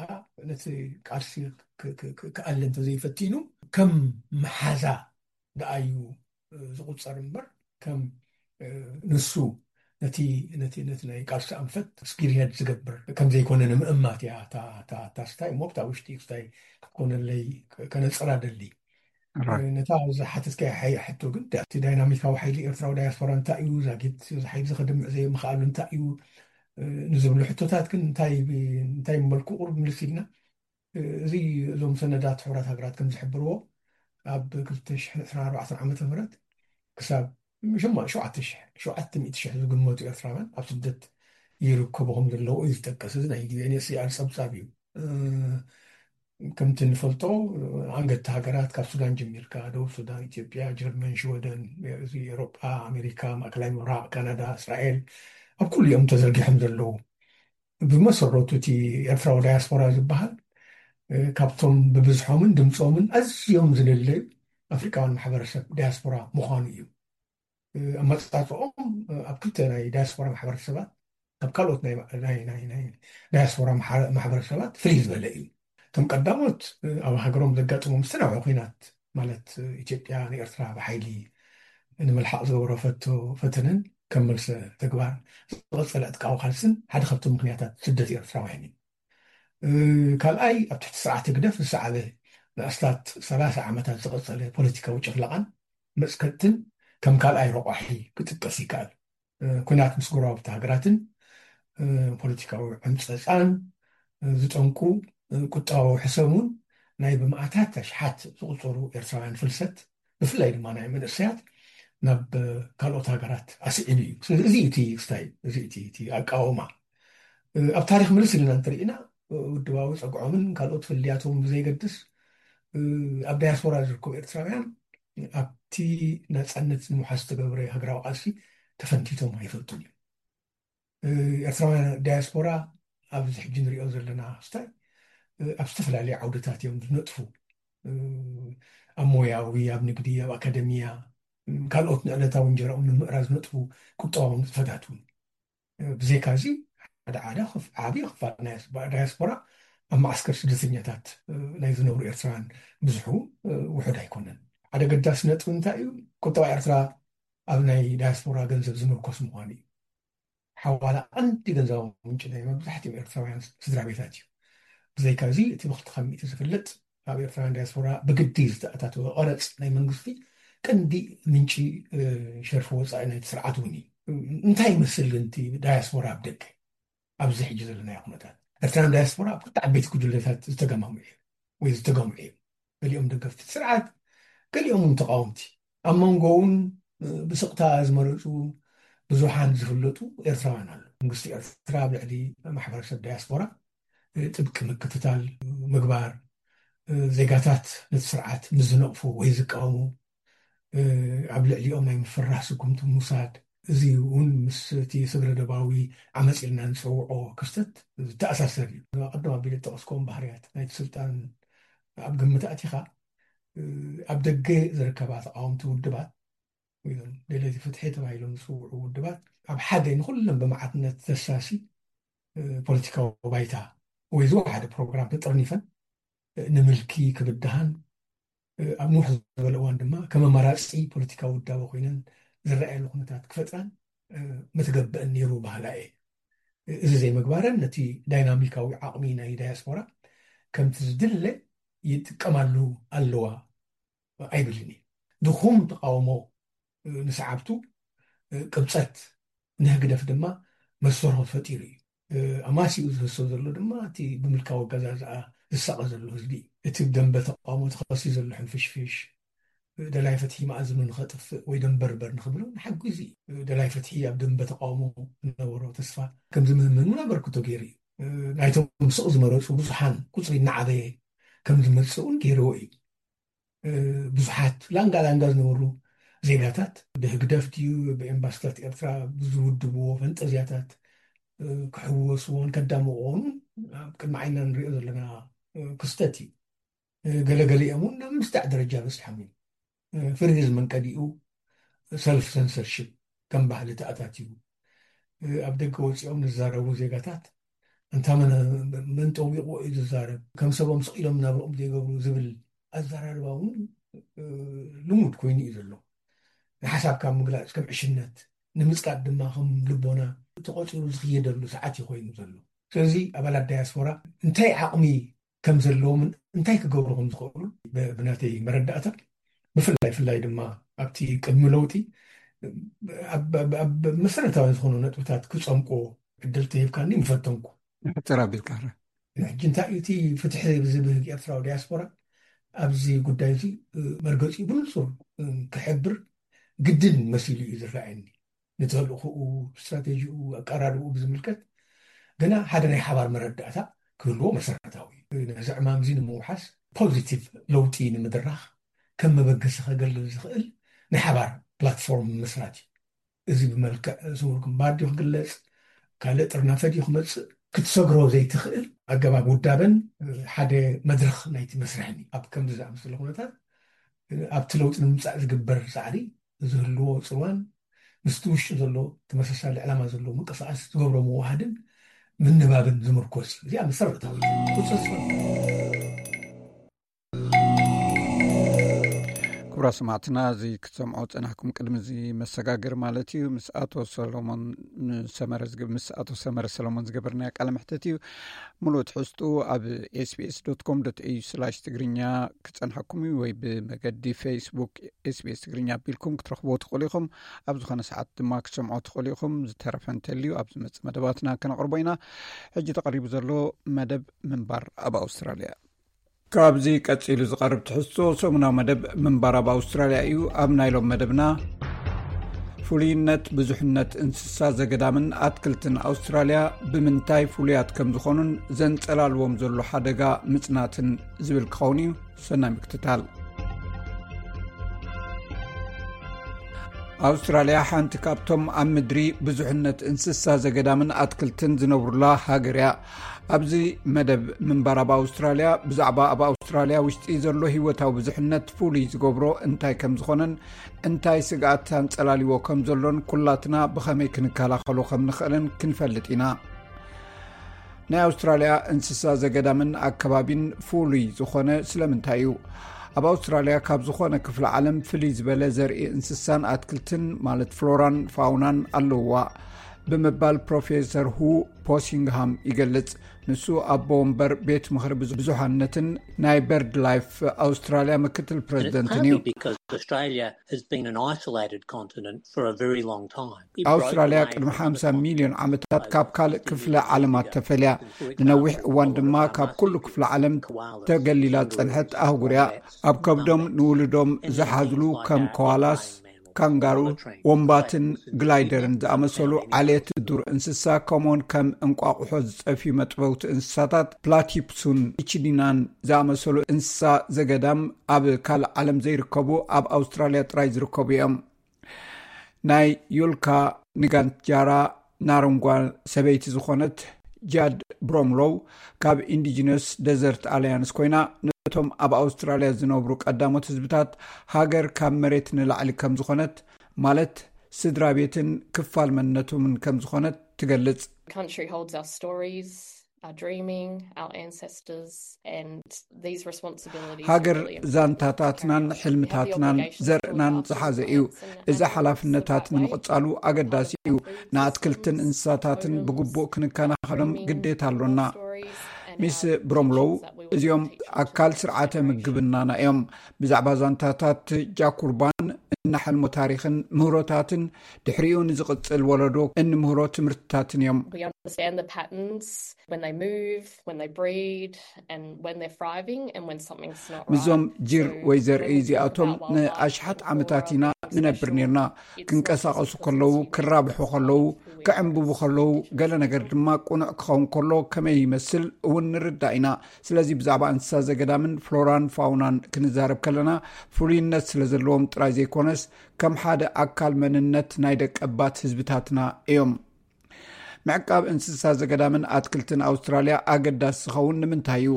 ነቲ ቃልሲ ክ-፣ ክ-፣ ክ-፣ ክኣሊ እንተዘይፈቲኑ፣ ከም መሓዛ ደኣ እዩ ዝቑጸር እምበር፣ ከም ንሱ ነቲ ነቲ ነቲ ናይ ቃልሲ ኣንፈት ስፒርሄድ ዝገብር ከም ዘይኮነ ንምእማት እያ እታ እታ እታ ስታይ እሞ፣ ብታ ውሽጢ ስታይ ክትኮነለይ ከነጽራ ደሊ። ነታ ዝሓተትካያ ሓይ- ሕቶ ግን፣ እቲ ዳይናሚካዊ ሓይሊ ኤርትራዊ ዳያስፖራ እንታይ እዩ? ዛጊት እዚ ሓይሊ እዚ ከድምዕ ዘይምኽኣሉ እንታይ እዩ? ንዝብሉ ሕቶታት ግን እንታይ እንታይ ምበልኩ ቁሩብ ምልስ ኢልና፣ እዚ እዞም ሰነዳት ሕቡራት ሃገራት ከም ዝሕብርዎ፣ ኣብ ክልተ ሽሕን ዕስራን ኣርባዕተን ዓመተ ምህረት ክሳብ ሸማ- ሸውዓተ ሽሕ ሸውዓተ ሚእቲ ሽሕ ዝግመቱ ኤርትራውያን ኣብ ስደት ይርከቡ ከም ዘለዉ እዩ ዝጠቀስ። እዚ ናይ ዩ ኤን ኤች ሲ ኣር ጸብጻብ እዩ። ከምቲ ንፈልጦ፣ ኣንገድቲ ሃገራት ካብ ሱዳን ጀሚርካ፣ ደቡብ ሱዳን፣ ኢትዮጵያ፣ ጀርመን፣ ሽወደን፣ እዚ ኤውሮጳ፣ ኣሜሪካ፣ ማእከላይ ምብራቕ፣ ካናዳ፣ እስራኤል፣ ኣብ ኩሉ እዮም ተዘርጊሖም ዘለዉ። ብመሰረቱ እቲ ኤርትራዊ ዳያስፖራ ዝበሃል፣ እ፣ ካብቶም ብብዝሖምን ድምፆምን ኣዝዮም ዝልለዩ ኣፍሪቃውያን ማሕበረሰብ ዳያስፖራ ምዃኑ እዩ። እ፣ ኣመጻጽኦም፣ እ፣ ኣብ ክልተ ናይ ዳያስፖራ ማሕበረሰባት ካብ ካልኦት ናይ ናይ ናይ ናይ ዳያስፖራ ማሕረ- ማሕበረሰባት ፍልይ ዝበለ እዩ። እቶም ቀዳሞት፣ እ፣ ኣብ ሃገሮም ዘጋጥሞም ዝተናውሐ ኲናት፣ ማለት፣ እ፣ ኢትዮጵያ ንኤርትራ ብሓይሊ ንምልሓቕ ዝገበሮ ፈቶ ፈተነን ከም መልሰ ተግባር ዝቐጸለ ዕጥቃዊ ቃልስን ሓደ ካብቶም ምኽንያታት ስደት ኤርትራውያን እዩ። እ፣ ካልኣይ፣ ኣብ ትሕቲ ስርዓት ህግደፍ ዝሰዓበ ንኣስታት ሰላሳ ዓመታት ዝቐጸለ ፖለቲካዊ ጭፍለቓን መጽከጥትን ከም ካልኣይ ረቋሒ ክጥቀስ ይከኣል። እ፣ ኲናት ምስ ጎረባብቲ ሃገራትን፣ እ፣ ፖለቲካዊ ዕምጸጻን፣ እ፣ ዝጠንቁ፣ እ፣ ቁጠባዊ ሕሰም እውን ናይ ብመኣታት ኣሽሓት ዝቑጸሩ ኤርትራውያን ፍልሰት፣ ብፍላይ ድማ ናይ መንእሰያት ናብ፣ እ፣ ካልኦት ሃገራት ኣስዒቡ እዩ። ስለዚ እዚ እቲ ክስታይ፣ እዚ እቲ እቲ ኣቃውማ። እ፣ ኣብ ታሪኽ ምልስ ኢልና እንተርኢና፣ እ፣ ውድባዊ ጸግዖምን ካልኦት ፍልልያቶም ብዘይገድስ፣ እ፣ ኣብ ዳያስፖራ ዝርከቡ ኤርትራውያን ኣብቲ ናጻነት ንምውሓስ ዝተገብረ ሃገራዊ ቃልሲ ተፈንቲቶም ኣይፈልጡን እዮም። እ፣ ኤርትራውያን ዳያስፖራ ኣብዚ ሕጂ ንሪኦ ዘለና ክስታይ፣ እ፣ ኣብ ዝተፈላለዩ ዓውድታት እዮም ዝነጥፉ። እ፣ ኣብ ሞያዊ፣ ኣብ ንግዲ፣ ኣብ ኣካደሚያ፣ እ፣ ካልኦት ንዕለታዊ እንጀራኦም ንምእራይ ዝነጥፉ ቁጠባዊ ንጥፈታት እውን። እ፣ ብዘይካ እዚ፣ ሓደ ሓደ ክፍ- ዓቢ ክፋል ናይ ዳያስፖራ ኣብ መዓስከር ስደተኛታት፣ እ፣ ናይ ዝነብሩ ኤርትራውያን ብዝሑ፣ እ፣ ውሑድ ኣይኮነን። ሓደ ገዳሲ ነጥቢ እንታይ እዩ? ቁጠባ ኤርትራ ኣብ ናይ ዳያስፖራ ገንዘብ ዝምርኮስ ምዃኑ እዩ። ሓዋላ ቀንዲ ገንዘባዊ ምንጪ ናይ መብዛሕትኦም ኤርትራውያን ስድራ ቤታት እዩ። ብዘይካ እዚ፣ እቲ ብክልተ ካብ ሚእቲ ዝፍለጥ ኣብ ኤርትራውያን ዳያስፖራ ብግዲ ዝተኣታተወ ቀረጽ ናይ መንግስቲ ቀንዲ ምንጪ፣ እ፣ ሸርፊ ወጻኢ ናይቲ ስርዓት እውን እዩ። እንታይ ይመስል ግን እቲ ዳያስፖራ ኣብ ደገ ኣብዚ ሕጂ ዘለናዮ ኩነታት? ኤርትራውያን ዳያስፖራ ኣብ ክልተ ዓበይቲ ጉጅለታት ዝተገማምዑ እዮም ወይ ዝተገምዑ እዮም። ገሊኦም ደገፍቲ ስርዓት፣ ገሊኦም እውን ተቃወምቲ። ኣብ መንጎ እውን ብስቕታ ዝመረጹ ብዙሓን ዝፍለጡ ኤርትራውያን ኣለዉ። መንግስቲ ኤርትራ ኣብ ልዕሊ ማሕበረሰብ ዳያስፖራ ጥብቂ ምክትታል ምግባር፣ ዜጋታት ነቲ ስርዓት ምስ ዝነቕፉ ወይ ዝቃወሙ ኣብ ልዕሊኦም ናይ ምፍርራህ ስጉምቲ ምውሳድ፣ እዚ እውን ምስ እቲ ስግረ ዶባዊ ዓመጽ ኢልና ንጸውዖ ክስተት ዝተኣሳሰር እዩ። ቀደም ኣቢለ ዝጠቐስክዎም ባህርያት ናይቲ ስልጣን ኣብ ግምት ኣእቲኻ፣ ኣብ ደገ ዝርከባ ተቓወምቲ ውድባት ወይ እውን ደለይቲ ፍትሒ ተባሂሎም ዝጽውዑ ውድባት ኣብ ሓደ ንኹለን ብመዓትነት ዘሳሲ ፖለቲካዊ ባይታ ወይ ዝወሓደ ፕሮግራም ተጠርኒፈን ንምልኪ ክብድሃን ኣብ ንውሕ ዝበለ እዋን ድማ ከም ኣማራጺ ፖለቲካዊ ውዳበ ኮይነን ዝረኣያሉ ኩነታት ክፈጥራን ምትገብአን ነይሩ በሃላይ እየ። እዚ ዘይምግባረን ነቲ ዳይናሚካዊ ዓቕሚ ናይ ዳያስፖራ ከምቲ ዝድለ ይጥቀማሉ ኣለዋ ኣይብልን እየ። ድኹም ተቃውሞ ንሰዓብቱ ቅብጸት ንህግደፍ ድማ መሰርሆ ፈጢሩ እዩ። ኣማሲኡ ዝህሰ ዘሎ ድማ እቲ ብምልካዊ ኣገዛዝኣ ዝሳቐ ዘሎ ህዝቢ እዩ። እቲ ብደንበ ተቃውሞ ተኸሲ ዘሎ ሕንፍሽፍሽ ደላይ ፍትሒ መኣዝኑ ንኸጥፍእ ወይ ደንበርበር ንኽብሎ ንሓጒዙ እዩ። ደላይ ፍትሒ ኣብ ደንበ ተቃውሞ ዝነበሮ ተስፋ ከም ዝምህመን እውን ኣበርክቶ ገይሩ እዩ። ናይቶም ስቕ ዝመረጹ ብዙሓን ቁጽሪ እናዓበየ ከም ዝመጽእ እውን ገይርዎ እዩ። ብዙሓት ላንጋ ላንጋ ዝነበሩ ዜጋታት ብህግደፍ ድዩ ብኤምባስታት ኤርትራ ብዝውድብዎ ፈንጠዝያታት ክሕወስዎን ከዳምቕዎን ኣብ ቅድሚ ዓይንና ንሪኦ ዘለና ክስተት እዩ። ገለገሊኦም እውን ናብ ምስዳዕ ደረጃ በፂሖም እዮም። ፍርሂ ዝመንቀዲኡ ሰልፍ ሰንሰርሽፕ ከም ባህሊ ተኣታትዩ ኣብ ደገ ወፂኦም ንዝዛረቡ ዜጋታት እንታ መን ጠዊቕዎ እዩ ዝዛረብ፣ ከም ሰቦም ስቕ ኢሎም ናብርኦም ዘይገብሩ ዝብል ኣዘራርባ እውን ልሙድ ኮይኑ እዩ ዘሎ። ንሓሳብካ ምግላፅ ከም ዕሽነት፣ ንምፅቃጥ ድማ ከም ልቦና ተቆፂሩ ዝኽየደሉ ሰዓት እዩ ኮይኑ ዘሎ። ስለዚ ኣባላት ዳያስፖራ እንታይ ዓቕሚ ከም ዘለዎምን እንታይ ክገብሩ ከም ዝኽእሉ ብ- ብናተይ መረዳእታ፣ ብፍላይ ፍላይ ድማ ኣብቲ ቅድሚ ለውጢ ኣብ- ኣብ- ኣብ መሰረታዊ ዝኾኑ ነጥብታት ክፀምቁ ዕድል ተሂብካኒ ምፈተንኩ። ሕፅር ኣቢልካ። ሕጂ እንታይ እዩ እቲ ፍትሒ ዝብህግ ኤርትራዊ ዲያስፖራ ኣብዚ ጉዳይ እዚ መርገፂ ብንፁር ክሕብር ግድን መሲሉ እዩ ዝረኣየኒ። ንተልእኽኡ፣ ስትራቴጂኡ፣ ኣቀራርብኡ ብዝምልከት ገና ሓደ ናይ ሓባር መረዳእታ ክህልዎ መሰረታዊ እዩ። ነዚ ዕማም እዚ ንምውሓስ ፖዚቲቭ ለውጢ ንምድራኽ ከም መበገሲ ከገልግል ዝኽእል ናይ ሓባር ፕላትፎርም ምስራት እዩ። እዚ ብመልክዕ ስውር ግንባር ድዩ ክግለጽ፣ ካልእ ጥርናፈ ድዩ ክመጽእ፣ ክትሰግሮ ዘይትኽእል ኣገባብ ውዳበን ሓደ መድረኽ ናይቲ መስርሕን እዩ። ኣብ ከምዚ ዝኣመሰለ ኩነታት ኣብቲ ለውጢ ንምምጻእ ዝግበር ጻዕሪ ዝህልዎ ጽልዋን ምስቲ ውሽጢ ዘሎ ተመሳሳሊ ዕላማ ዘለዎ ምንቅስቃስ ዝገብሮ ምውሃድን ምንባብን ዝምርኮስ እዩ። እዚኣ መሰረታዊ ቁፅፅር። ክቡራ ሰማዕትና፣ እዚ ክትሰምዖ ፀናሕኩም ቅድሚ እዚ መሰጋገር ማለት እዩ፣ ምስ ኣቶ ሰሎሞን ሰመረ ዝግ- ምስ ኣቶ ሰመረ ሰሎሞን ዝገበርናዮ ቃለ መሕተት እዩ። ሙሉእ ትሕዝቱ ኣብ ኤስቢኤስ ዶት ኮም ዶት ኤዩ ስላሽ ትግርኛ ክፀንሐኩም እዩ፣ ወይ ብመገዲ ፌስቡክ ኤስቢኤስ ትግርኛ ኣቢልኩም ክትረኽብዎ ትኽእሉ ኢኹም። ኣብ ዝኾነ ሰዓት ድማ ክትሰምዖ ትኽእሉ ኢኹም። ዝተረፈ እንተልዩ ኣብ ዝመፅእ መደባትና ከነቕርቦ ኢና። ሕጂ ተቐሪቡ ዘሎ መደብ ምንባር ኣብ ኣውስትራልያ። ካብዚ ቀፂሉ ዝቐርብ ትሕዝቶ ሰሙናዊ መደብ ምንባር ኣብ ኣውስትራልያ እዩ። ኣብ ናይ ሎም መደብና፣ ፍሉይነት ብዙሕነት እንስሳ ዘገዳምን ኣትክልትን ኣውስትራልያ ብምንታይ ፍሉያት ከም ዝኾኑን ዘንፀላልዎም ዘሎ ሓደጋ ምፅናትን ዝብል ክኸውን እዩ። ሰናይ ምክትታል። ኣውስትራልያ ሓንቲ ካብቶም ኣብ ምድሪ ብዙሕነት እንስሳ ዘገዳምን ኣትክልትን ዝነብሩላ ሃገር እያ። ኣብዚ መደብ ምንባር ኣብ ኣውስትራልያ፣ ብዛዕባ ኣብ ኣውስትራልያ ውሽጢ ዘሎ ህይወታዊ ብዙሕነት ፍሉይ ዝገብሮ እንታይ ከም ዝኾነን እንታይ ስግኣት ኣንጸላልዎ ከም ዘሎን ኩላትና ብኸመይ ክንከላኸሎ ከም ንኽእልን ክንፈልጥ ኢና። ናይ ኣውስትራልያ እንስሳ ዘገዳምን ኣከባቢን ፍሉይ ዝኾነ ስለምንታይ እዩ? ኣብ ኣውስትራልያ ካብ ዝኾነ ክፍለ ዓለም ፍልይ ዝበለ ዘርኢ እንስሳን ኣትክልትን፣ ማለት ፍሎራን ፋውናን ኣለውዋ ብምባል ፕሮፌሰር ሁ ፖሲንግሃም ይገልጽ። ንሱ ኣቦ ወንበር ቤት ምኽሪ ብዙ- ብዙሓነትን ናይ በርድ ላይፍ ኣውስትራልያ ምክትል ፕሬዚደንትን እዩ። Because Australia has been an isolated continent for a very long time. ኣውስትራልያ ቅድሚ ሓምሳ ሚልዮን ዓመታት ካብ ካልእ ክፍለ ዓለማት ተፈልያ፣ ንነዊሕ እዋን ድማ ካብ ኩሉ ክፍለ ዓለም ተገሊላ ዝጸንሐት ኣህጉር እያ። ኣብ ከብዶም ንውሉዶም ዝሓዝሉ ከም ኮዋላስ፣ ካንጋሩ፣ ወንባትን ግላይደርን ዝኣመሰሉ ዓሌት ዱር እንስሳ፣ ከምኡውን ከም እንቋቑሖ ዝጸፍዩ መጥበውቲ እንስሳታት ፕላቲፕሱን ኢችዲናን ዝኣመሰሉ እንስሳ ዘገዳም ኣብ ካልእ ዓለም ዘይርከቡ፣ ኣብ ኣውስትራልያ ጥራይ ዝርከቡ እዮም። ናይ ዩልካ ንጋንጃራ ናረንጓ ሰበይቲ ዝኾነት ጃድ ብሮምሎው ካብ ኢንዲጂነስ ደዘርት ኣላያንስ ኮይና፣ ነቶም ኣብ ኣውስትራልያ ዝነብሩ ቀዳሞት ህዝብታት ሃገር ካብ መሬት ንላዕሊ ከም ዝኾነት፣ ማለት ስድራ ቤትን ክፋል መንነቶምን ከም ዝኾነት ትገልጽ። Country holds our stories, our dreaming, our ancestors, and these responsibilities are ሃገር really important. ዛንታታትናን ሕልምታትናን ዘርእናን ዝሓዘ እዩ። እዚ ሓላፍነታት ንምቕጻሉ ኣገዳሲ እዩ። ንኣትክልትን እንስሳታትን ብግቡእ ክንከናኸኖም ግዴታ ኣሎና። ሚስ ብሮምሎው፣ እዚኦም ኣካል ስርዓተ ምግብናና እዮም። ብዛዕባ ዛንታታት ጃኩርባን እናሐልሞ ታሪኽን ምህሮታትን ድሕሪኡ ንዝቕጽል ወለዶ እንምህሮ ትምህርትታትን እዮም። We understand the patterns when they move, when they breed, and when they're thriving, and when something's not right. ምስዞም ጅር ወይ ዘርኢ እዚኣቶም ንኣሽሓት ዓመታት ኢና ንነብር ኔርና። ክንቀሳቐሱ ከለዉ፣ ክራብሑ ከለዉ፣ ክዕንብቡ ከለዉ፣ ገለ ነገር ድማ ቅኑዕ ክኸውን ከሎ ከመይ ይመስል እውን ንርዳእ ኢና። ስለዚ ብዛዕባ እንስሳ ዘገዳምን ፍሎራን ፋውናን ክንዛረብ ከለና፣ ፍሉይነት ስለ ዘለዎም ጥራይ ዘይኮነስ፣ ከም ሓደ ኣካል መንነት ናይ ደቀባት ህዝብታትና እዮም። ምዕቃብ እንስሳ ዘገዳምን ኣትክልትን ኣውስትራልያ ኣገዳሲ ዝኸውን ንምንታይ እዩ?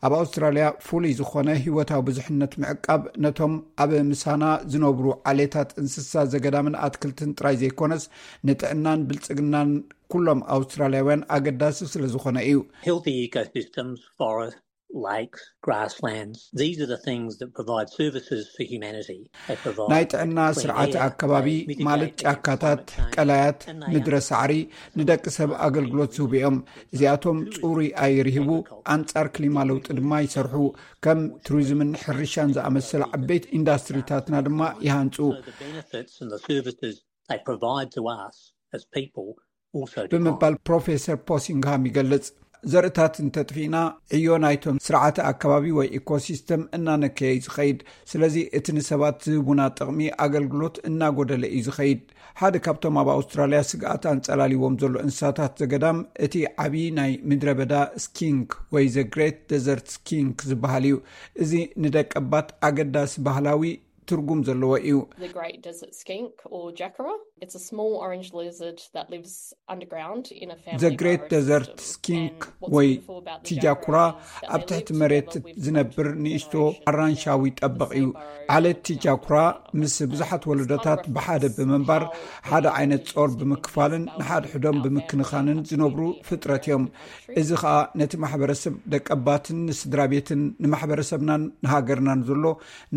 ኣብ ኣውስትራልያ ፍሉይ ዝኾነ ህይወታዊ ብዙሕነት ምዕቃብ ነቶም ኣብ ምሳና ዝነብሩ ዓሌታት እንስሳ ዘገዳምን ኣትክልትን ጥራይ ዘይኮነስ፣ ንጥዕናን ብልጽግናን ኩሎም ኣውስትራልያውያን ኣገዳሲ ስለ ዝኾነ እዩ። Healthy ecosystems, forests, lakes, grasslands. These are the things that provide services for humanity. They provide ናይ ጥዕና ስርዓተ ኣከባቢ ማለት ጫካታት፣ ቀላያት፣ ምድረ ሳዕሪ ንደቂ ሰብ ኣገልግሎት ዝህቡ እዮም። እዚኣቶም ጽሩይ ኣየር ይህቡ፣ ኣንጻር ክሊማ ለውጢ ድማ ይሰርሑ። ከም ቱሪዝምን ሕርሻን ዝኣመሰለ ዓበይቲ ኢንዳስትሪታትና ድማ ይሃንጹ። So the benefits and the services they provide to us as people also decline. ብምባል ፕሮፌሰር ፖሲንግሃም ይገልጽ። ዘርእታት እንተጥፊእና፣ ዕዮ ናይቶም ስርዓተ ኣከባቢ ወይ ኢኮሲስተም እናነከየ እዩ ዝኸይድ። ስለዚ እቲ ንሰባት ዝህቡና ጥቕሚ ኣገልግሎት እናጎደለ እዩ ዝኸይድ። ሓደ ካብቶም ኣብ ኣውስትራልያ ስግኣት ኣንጸላልዎም ዘሎ እንስሳታት ዘገዳም እቲ ዓቢ ናይ ምድረ በዳ ስኪንክ ወይ ዘ ግሬት ደዘርት ስኪንክ ዝበሃል እዩ። እዚ ንደቀባት ኣገዳሲ ባህላዊ ትርጉም ዘለዎ እዩ። The great desert skink, or jaguar. It's a small orange lizard that lives underground in a family The Great Desert Skink ወይ ቲጃኩራ ኣብ ትሕቲ መሬት ዝነብር ንእሽቶ ኣራንሻዊ ጠበቕ እዩ። ዓሌት ቲጃኩራ ምስ ብዙሓት ወለዶታት ብሓደ ብምንባር፣ ሓደ ዓይነት ጾር ብምክፋልን ንሓድሕዶም ብምክንኻንን ዝነብሩ ፍጥረት እዮም። እዚ ኸኣ ነቲ ማሕበረሰብ ደቀባትን ንስድራ ቤትን ንማሕበረሰብናን ንሃገርናን ዘሎ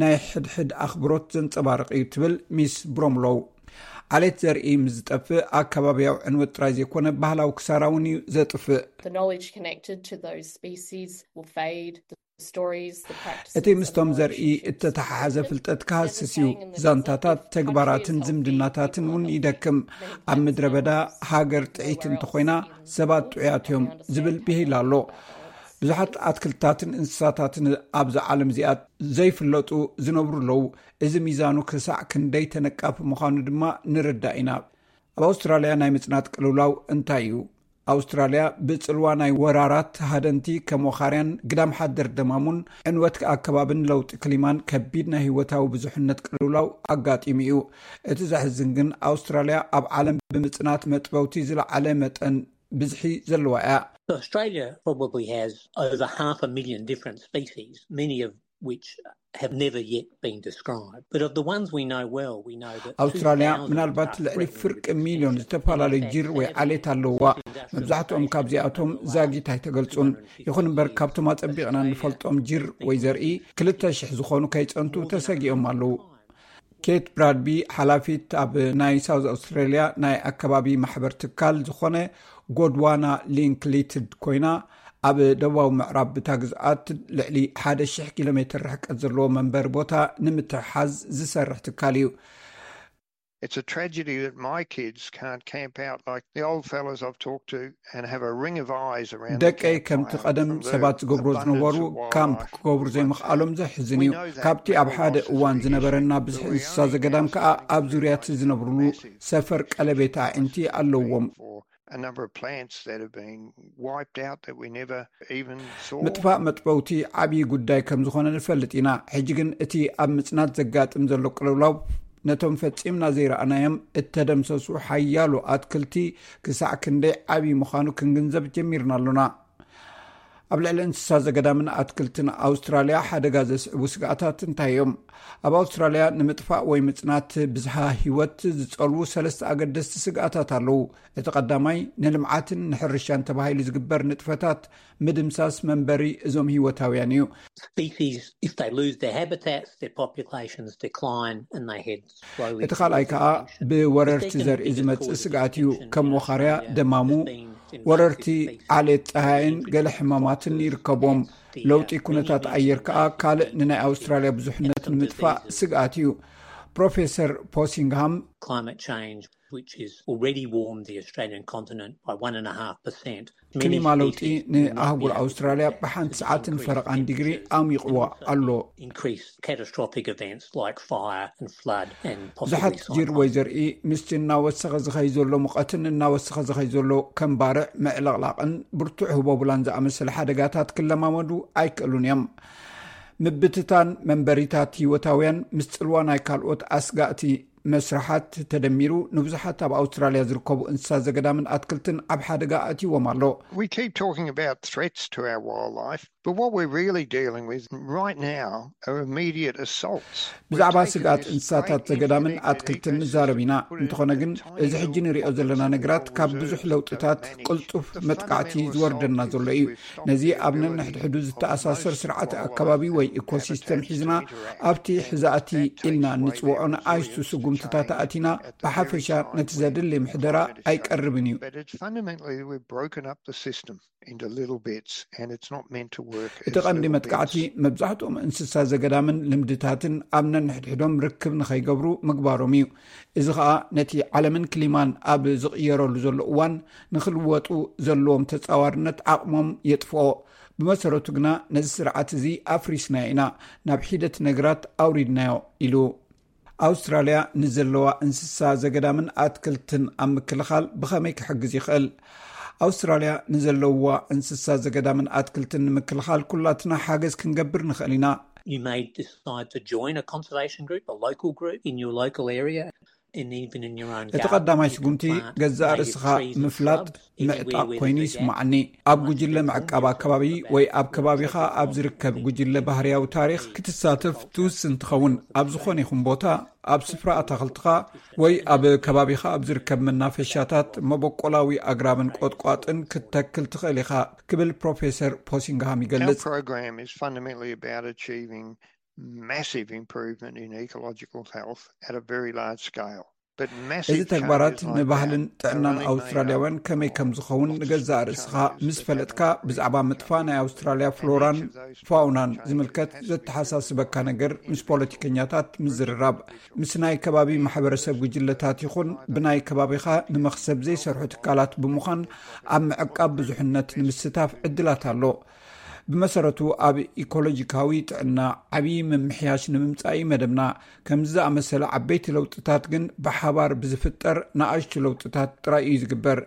ናይ ሕድሕድ ኣኽብሮት ዘንጸባርቕ እዩ፣ ትብል ሚስ ብሮምሎው። ዓሌት ዘርኢ ምስ ዝጠፍእ፣ ኣከባብያዊ ዕንወት ጥራይ ዘይኮነ፣ ባህላዊ ክሳራ እውን እዩ ዘጥፍእ። The knowledge connected to those species will fade. The stories, the practices, እቲ ምስቶም ዘርኢ እተተሓሓዘ ፍልጠት ክሃስስ እዩ። ዛንታታት፣ ተግባራትን ዝምድናታትን እውን ይደክም። ኣብ ምድረ በዳ ሃገር ጥዒት እንተኾይና፣ ሰባት ጥዑያት እዮም ዝብል ብሂል ኣሎ። ብዙሓት ኣትክልትታትን እንስሳታትን ኣብዚ ዓለም እዚኣ ዘይፍለጡ ዝነብሩ ኣለዉ። እዚ ሚዛኑ ክሳዕ ክንደይ ተነቃፊ ምዃኑ ድማ ንርዳእ ኢና። ኣብ ኣውስትራልያ ናይ ምጽናት ቅልውላው እንታይ እዩ? ኣውስትራልያ ብጽልዋ ናይ ወራራት ሃደንቲ ከም ወኻርያን ግዳም ሓደር ደማሙን ዕንወት ኣከባብን ለውጢ ክሊማን ከቢድ ናይ ህይወታዊ ብዙሕነት ቅልውላው ኣጋጢሙ እዩ። እቲ ዘሕዝን ግን ኣውስትራልያ ኣብ ዓለም ብምጽናት መጥበውቲ ዝለዓለ መጠን ብዝሒ ዘለዋ እያ። Australia probably has over half a million different species, many of which have never yet been described. But of the ones we know well, we know that ኣውስትራልያ ምናልባት ልዕሊ ፍርቂ ሚልዮን ዝተፈላለዩ ጅር ወይ ዓሌት ኣለዋ። መብዛሕትኦም ካብዚኣቶም ዛጊት ኣይተገልጹን። ይኹን እምበር ካብቶም ኣጸቢቕና እንፈልጦም ጅር ወይ ዘርኢ ክልተ ሽሕ ዝኾኑ ከይጸንቱ ተሰጊኦም ኣለዉ። ኬት ብራድቢ ሓላፊት ኣብ ናይ ሳውዝ ኣውስትራልያ ናይ ኣከባቢ ማሕበር ትካል ዝኾነ ጎድዋና ሊንክ ሊትድ ኮይና፣ ኣብ ደቡባዊ ምዕራብ ብታ ግዝኣት ልዕሊ ሓደ ሽሕ ኪሎ ሜትር ርሕቀት ዘለዎ መንበሪ ቦታ ንምትሕሓዝ ዝሰርሕ ትካል እዩ። It's a tragedy that my kids can't camp out like the old fellas I've talked to and have a ring of eyes around. ደቀይ ከምቲ ቀደም ሰባት ዝገብሮ ዝነበሩ ካምፕ ክገብሩ ዘይምኽኣሎም ዘሕዝን እዩ። ካብቲ ኣብ ሓደ እዋን ዝነበረና ብዝሒ እንስሳ ዘገዳም ከኣ ኣብ ዙርያ እቲ ዝነብርሉ ሰፈር ቀለቤት ኣዒንቲ ኣለዎም። A number of plants that have been wiped out that we never even saw. ምጥፋእ መጥበውቲ ዓብዪ ጉዳይ ከም ዝኾነ ንፈልጥ ኢና። ሕጂ ግን እቲ ኣብ ምጽናት ዘጋጥም ዘሎ ቅልውላው ነቶም ፈጺምና ዘይረኣናዮም እተደምሰሱ ሓያሎ ኣትክልቲ ክሳዕ ክንደይ ዓብዪ ምዃኑ ክንግንዘብ ጀሚርና ኣሎና። ኣብ ልዕሊ እንስሳ ዘገዳምን ኣትክልትን ኣውስትራልያ ሓደጋ ዘስዕቡ ስግኣታት እንታይ እዮም? ኣብ ኣውስትራልያ ንምጥፋእ ወይ ምጽናት ብዝሃ ህይወት ዝጸልዉ ሰለስተ ኣገደስቲ ስግኣታት ኣለዉ። እቲ ቀዳማይ ንልምዓትን ንሕርሻን ተባሂሉ ዝግበር ንጥፈታት ምድምሳስ መንበሪ እዞም ህይወታውያን እዩ። Species, if they lose their habitats, their populations decline and they head slowly. እቲ ካልኣይ ከዓ ብወረርቲ ዘርኢ ዝመጽእ ስግኣት እዩ። ከም ወኻርያ፣ ደማሙ፣ ወረርቲ ዓሌት ጸሃይን ገለ ሕማማትን ይርከብዎም። ለውጢ ኩነታት ኣየር ከዓ ካልእ ንናይ ኣውስትራልያ ብዙሕነት ንምጥፋእ ስግኣት እዩ። ፕሮፌሰር ፖሲንግሃም Climate change, which has already warmed the Australian continent by one and a half percent. ክሊማ ለውጢ ንኣህጉር ኣውስትራልያ ብሓንቲ ሰዓትን ፈረቓን ዲግሪ ኣሚቕዎ ኣሎ። Increased catastrophic events like fire and flood and ብዙሓት possibly ጅር ወይ ዘርኢ ምስቲ እናወሰኸ ዝኸይ ዘሎ ሙቐትን እናወሰኸ ዝኸይ ዘሎ ከም ባርዕ፣ ምዕልቕላቕን ብርቱዕ ህቦብላን ዝኣመሰለ ሓደጋታት ክለማመዱ ኣይክእሉን እዮም። ምብትታን መንበሪታት ህይወታውያን ምስ ጽልዋ ናይ ካልኦት ኣስጋእቲ መስርሓት ተደሚሩ፣ ንብዙሓት ኣብ ኣውስትራልያ ዝርከቡ እንስሳ ዘገዳምን ኣትክልትን ኣብ ሓደጋ ኣእትይዎም ኣሎ። We keep talking about threats to our wildlife, but what we're really dealing with right now are immediate assaults. ብዛዕባ ስግኣት እንስሳታት ዘገዳምን ኣትክልትን ንዛረብ ኢና። እንተኾነ ግን፣ እዚ ሕጂ ንሪኦ ዘለና ነገራት ካብ ብዙሕ ለውጥታት ቅልጡፍ መጥቃዕቲ ዝወርደና ዘሎ እዩ። ነዚ ኣብ ነንሕድሕዱ ዝተኣሳሰር ስርዓት ኣከባቢ ወይ ኢኮሲስተም ሒዝና፣ ኣብቲ ሕዛእቲ ኢልና እንጽውዖ ንኣሽቱ ስጉምትታት ኣእቲና፣ ብሓፈሻ ነቲ ዘድሊ ምሕደራ ኣይቀርብን እዩ። But it's fundamentally we've broken up the system into little bits, and it's not meant to work. እቲ ቀንዲ መጥቃዕቲ፣ መብዛሕትኦም እንስሳ ዘገዳምን ልምድታትን ኣብ ነንሕድሕዶም ርክብ ንኸይገብሩ ምግባሮም እዩ። እዚ ኸኣ ነቲ ዓለምን ክሊማን ኣብ ዝቕየረሉ ዘሎ እዋን፣ ንኽልወጡ ዘለዎም ተጻዋርነት ዓቕሞም የጥፍኦ። ብመሰረቱ ግና፣ ነዚ ስርዓት እዚ ኣፍሪስናዮ ኢና፣ ናብ ሒደት ነገራት ኣውሪድናዮ ኢሉ። ኣውስትራልያ ንዘለዋ እንስሳ ዘገዳምን ኣትክልትን ኣብ ምክልኻል ብኸመይ ክሕግዝ ይኽእል? ኣውስትራልያ ንዘለዋ እንስሳ ዘገዳምን ኣትክልትን ንምክልኻል ኩላትና ሓገዝ ክንገብር ንኽእል ኢና። You may decide to join a conservation group, a local group in your local area, and even in your own እቲ ቀዳማይ ስጉምቲ፣ ገዛእ ርእስኻ ምፍላጥ ምዕጣቕ ኮይኑ ይስማዓኒ። ኣብ ጉጅለ ምዕቃብ ኣከባቢ ወይ ኣብ ከባቢኻ ኣብ ዝርከብ ጉጅለ ባህርያዊ ታሪኽ ክትሳተፍ ትውስን ትኸውን። ኣብ ዝኾነ ይኹን ቦታ፣ ኣብ ስፍራ ኣታኽልትኻ ወይ ኣብ ከባቢኻ ኣብ ዝርከብ መናፈሻታት፣ መበቆላዊ ኣግራብን ቆጥቋጥን ክትተክል ትኽእል ኢኻ፣ ክብል ፕሮፌሰር ፖሲንግሃም ይገልጽ። Program is fundamentally about achieving massive improvement in ecological health at a very large scale. እዚ ተግባራት ንባህልን ጥዕናን ኣውስትራልያውያን ከመይ ከም ዝኸውን ንገዛእ ርእስኻ ምስ ፈለጥካ፣ ብዛዕባ ምጥፋእ ናይ ኣውስትራልያ ፍሎራን ፋውናን ዝምልከት ዘተሓሳስበካ ነገር ምስ ፖለቲከኛታት ምዝርራብ፣ ምስ ናይ ከባቢ ማሕበረሰብ ጉጅለታት ይኹን ብናይ ከባቢኻ ንመኽሰብ ዘይሰርሑ ትካላት ብምዃን፣ ኣብ ምዕቃብ ብዙሕነት ንምስታፍ ዕድላት ኣሎ። ብመሰረቱ፣ ኣብ ኢኮሎጂካዊ ጥዕና ዓብዪ ምምሕያሽ ንምምጻእ እዩ መደብና። ከምዚ ዝኣመሰለ ዓበይቲ ለውጥታት ግን ብሓባር ብዝፍጠር ንኣሽቱ ለውጥታት ጥራይ እዩ ዝግበር።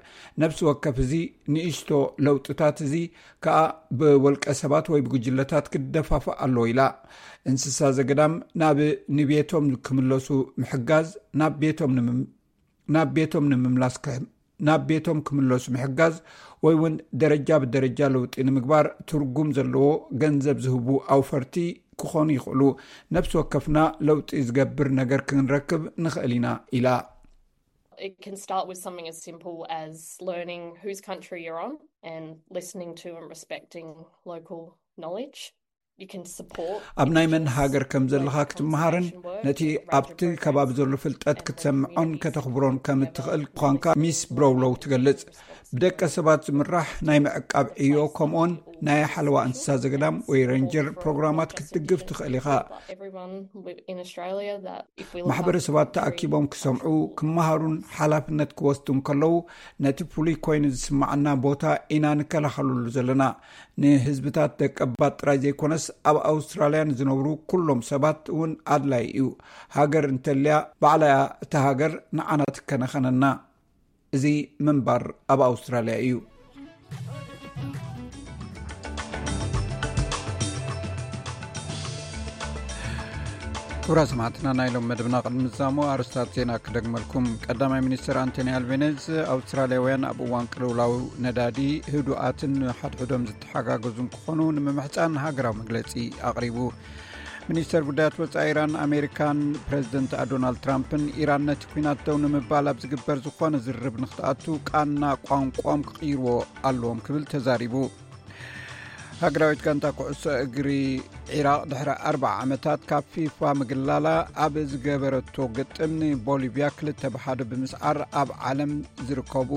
ነፍሲ ወከፍ እዚ ንእሽቶ ለውጥታት እዚ ከኣ ብወልቀ ሰባት ወይ ብጉጅለታት ክደፋፋእ ኣለዎ ኢላ። እንስሳ ዘገዳም ናብ ንቤቶም ክምለሱ ምሕጋዝ፣ ናብ ቤቶም ንምም- ናብ ቤቶም ንምምላስ ክሕ- ናብ ቤቶም ክምለሱ ምሕጋዝ፣ ወይ እውን ደረጃ ብደረጃ ለውጢ ንምግባር ትርጉም ዘለዎ ገንዘብ ዝህቡ ኣውፈርቲ ክኾኑ ይኽእሉ። ነፍሲ ወከፍና ለውጢ ዝገብር ነገር ክንረክብ ንኽእል ኢና ኢላ። It can start with something as simple as learning whose country you're on and listening to and respecting local knowledge. You can support ኣብ ናይ መን ሃገር ከም ዘለኻ ክትመሃርን ነቲ ኣብቲ ከባቢ ዘሎ ፍልጠት ክትሰምዖን ከተኽብሮን ከም እትኽእል ምዃንካ ሚስ ብሮውሎው ትገልጽ። ብደቀ ሰባት ዝምራሕ ናይ ምዕቃብ ዕዮ፣ ከምኡውን ናይ ሓለዋ እንስሳ ዘገዳም ወይ ሬንጀር ፕሮግራማት ክትድግፍ ትኽእል ኢኻ። Everyone in Australia that if we look ማሕበረሰባት ተኣኪቦም ክሰምዑ፣ ክመሃሩን ሓላፍነት ክወስዱ እንከለዉ፣ ነቲ ፍሉይ ኮይኑ ዝስማዓና ቦታ ኢና ንከላኸለሉ ዘለና። ንህዝብታት ደቀባት ጥራይ ዘይኮነስ፣ ኣብ ኣውስትራልያ ንዝነብሩ ኩሎም ሰባት እውን ኣድላይ እዩ። ሃገር እንተልያ፣ ባዕላ እያ እታ ሃገር ንዓና ትከናኸነና። እዚ ምንባር ኣብ ኣውስትራልያ እዩ። ክቡራት ሰማዕትና፣ ናይ ሎም መደብና ቅድሚ ምዛሙ ኣርስታት ዜና ክደግመልኩም። ቀዳማይ ሚኒስትር ኣንቶኒ ኣልቤኔዝ፣ ኣውስትራልያውያን ኣብ እዋን ቅልውላው ነዳዲ ህዱኣትን ሓድሕዶም ዝተሓጋገዙን ክኾኑ ንምምሕጻን ሃገራዊ መግለጺ ኣቕሪቡ። ሚኒስተር ጉዳያት ወጻኢ ኢራን ኣሜሪካን ፕሬዚደንት ዶናልድ ትራምፕን፣ ኢራን ነቲ ኲናት ደው ንምባል ኣብ ዝግበር ዝኾነ ዝርርብ ንክትኣቱ ቃና ቋንቋም ክቕይርዎ ኣለዎም ክብል ተዛሪቡ። ሃገራዊት ጋንታ ኩዕሶ እግሪ ዒራቕ ድሕሪ ኣርባዓ ዓመታት ካብ ፊፋ ምግላላ ኣብ ዝገበረቶ ግጥም ንቦሊቪያ ክልተ ብሓደ ብምስዓር ኣብ ዓለም ዝርከቡ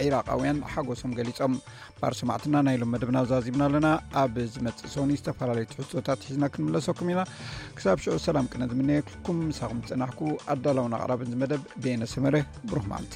ዒራቓውያን ሓጎሶም ገሊጾም። ባር ሰማዕትና ናይ ሎም መደብና ዛዚምና ኣለና። ኣብ ዝመጽእ ሰኒ ዝተፈላለዩ ትሕዝቶታት ሒዝና ክንምለሰኩም ኢና። ክሳብ ሽዑ ሰላም ቅነ ዝምነየልኩም። ምሳኹም ዝጸናሕኩ ኣዳላውን ኣቕራብን ዝመደብ ቤነ ሰመረ። ብሩኽ መዓልቲ።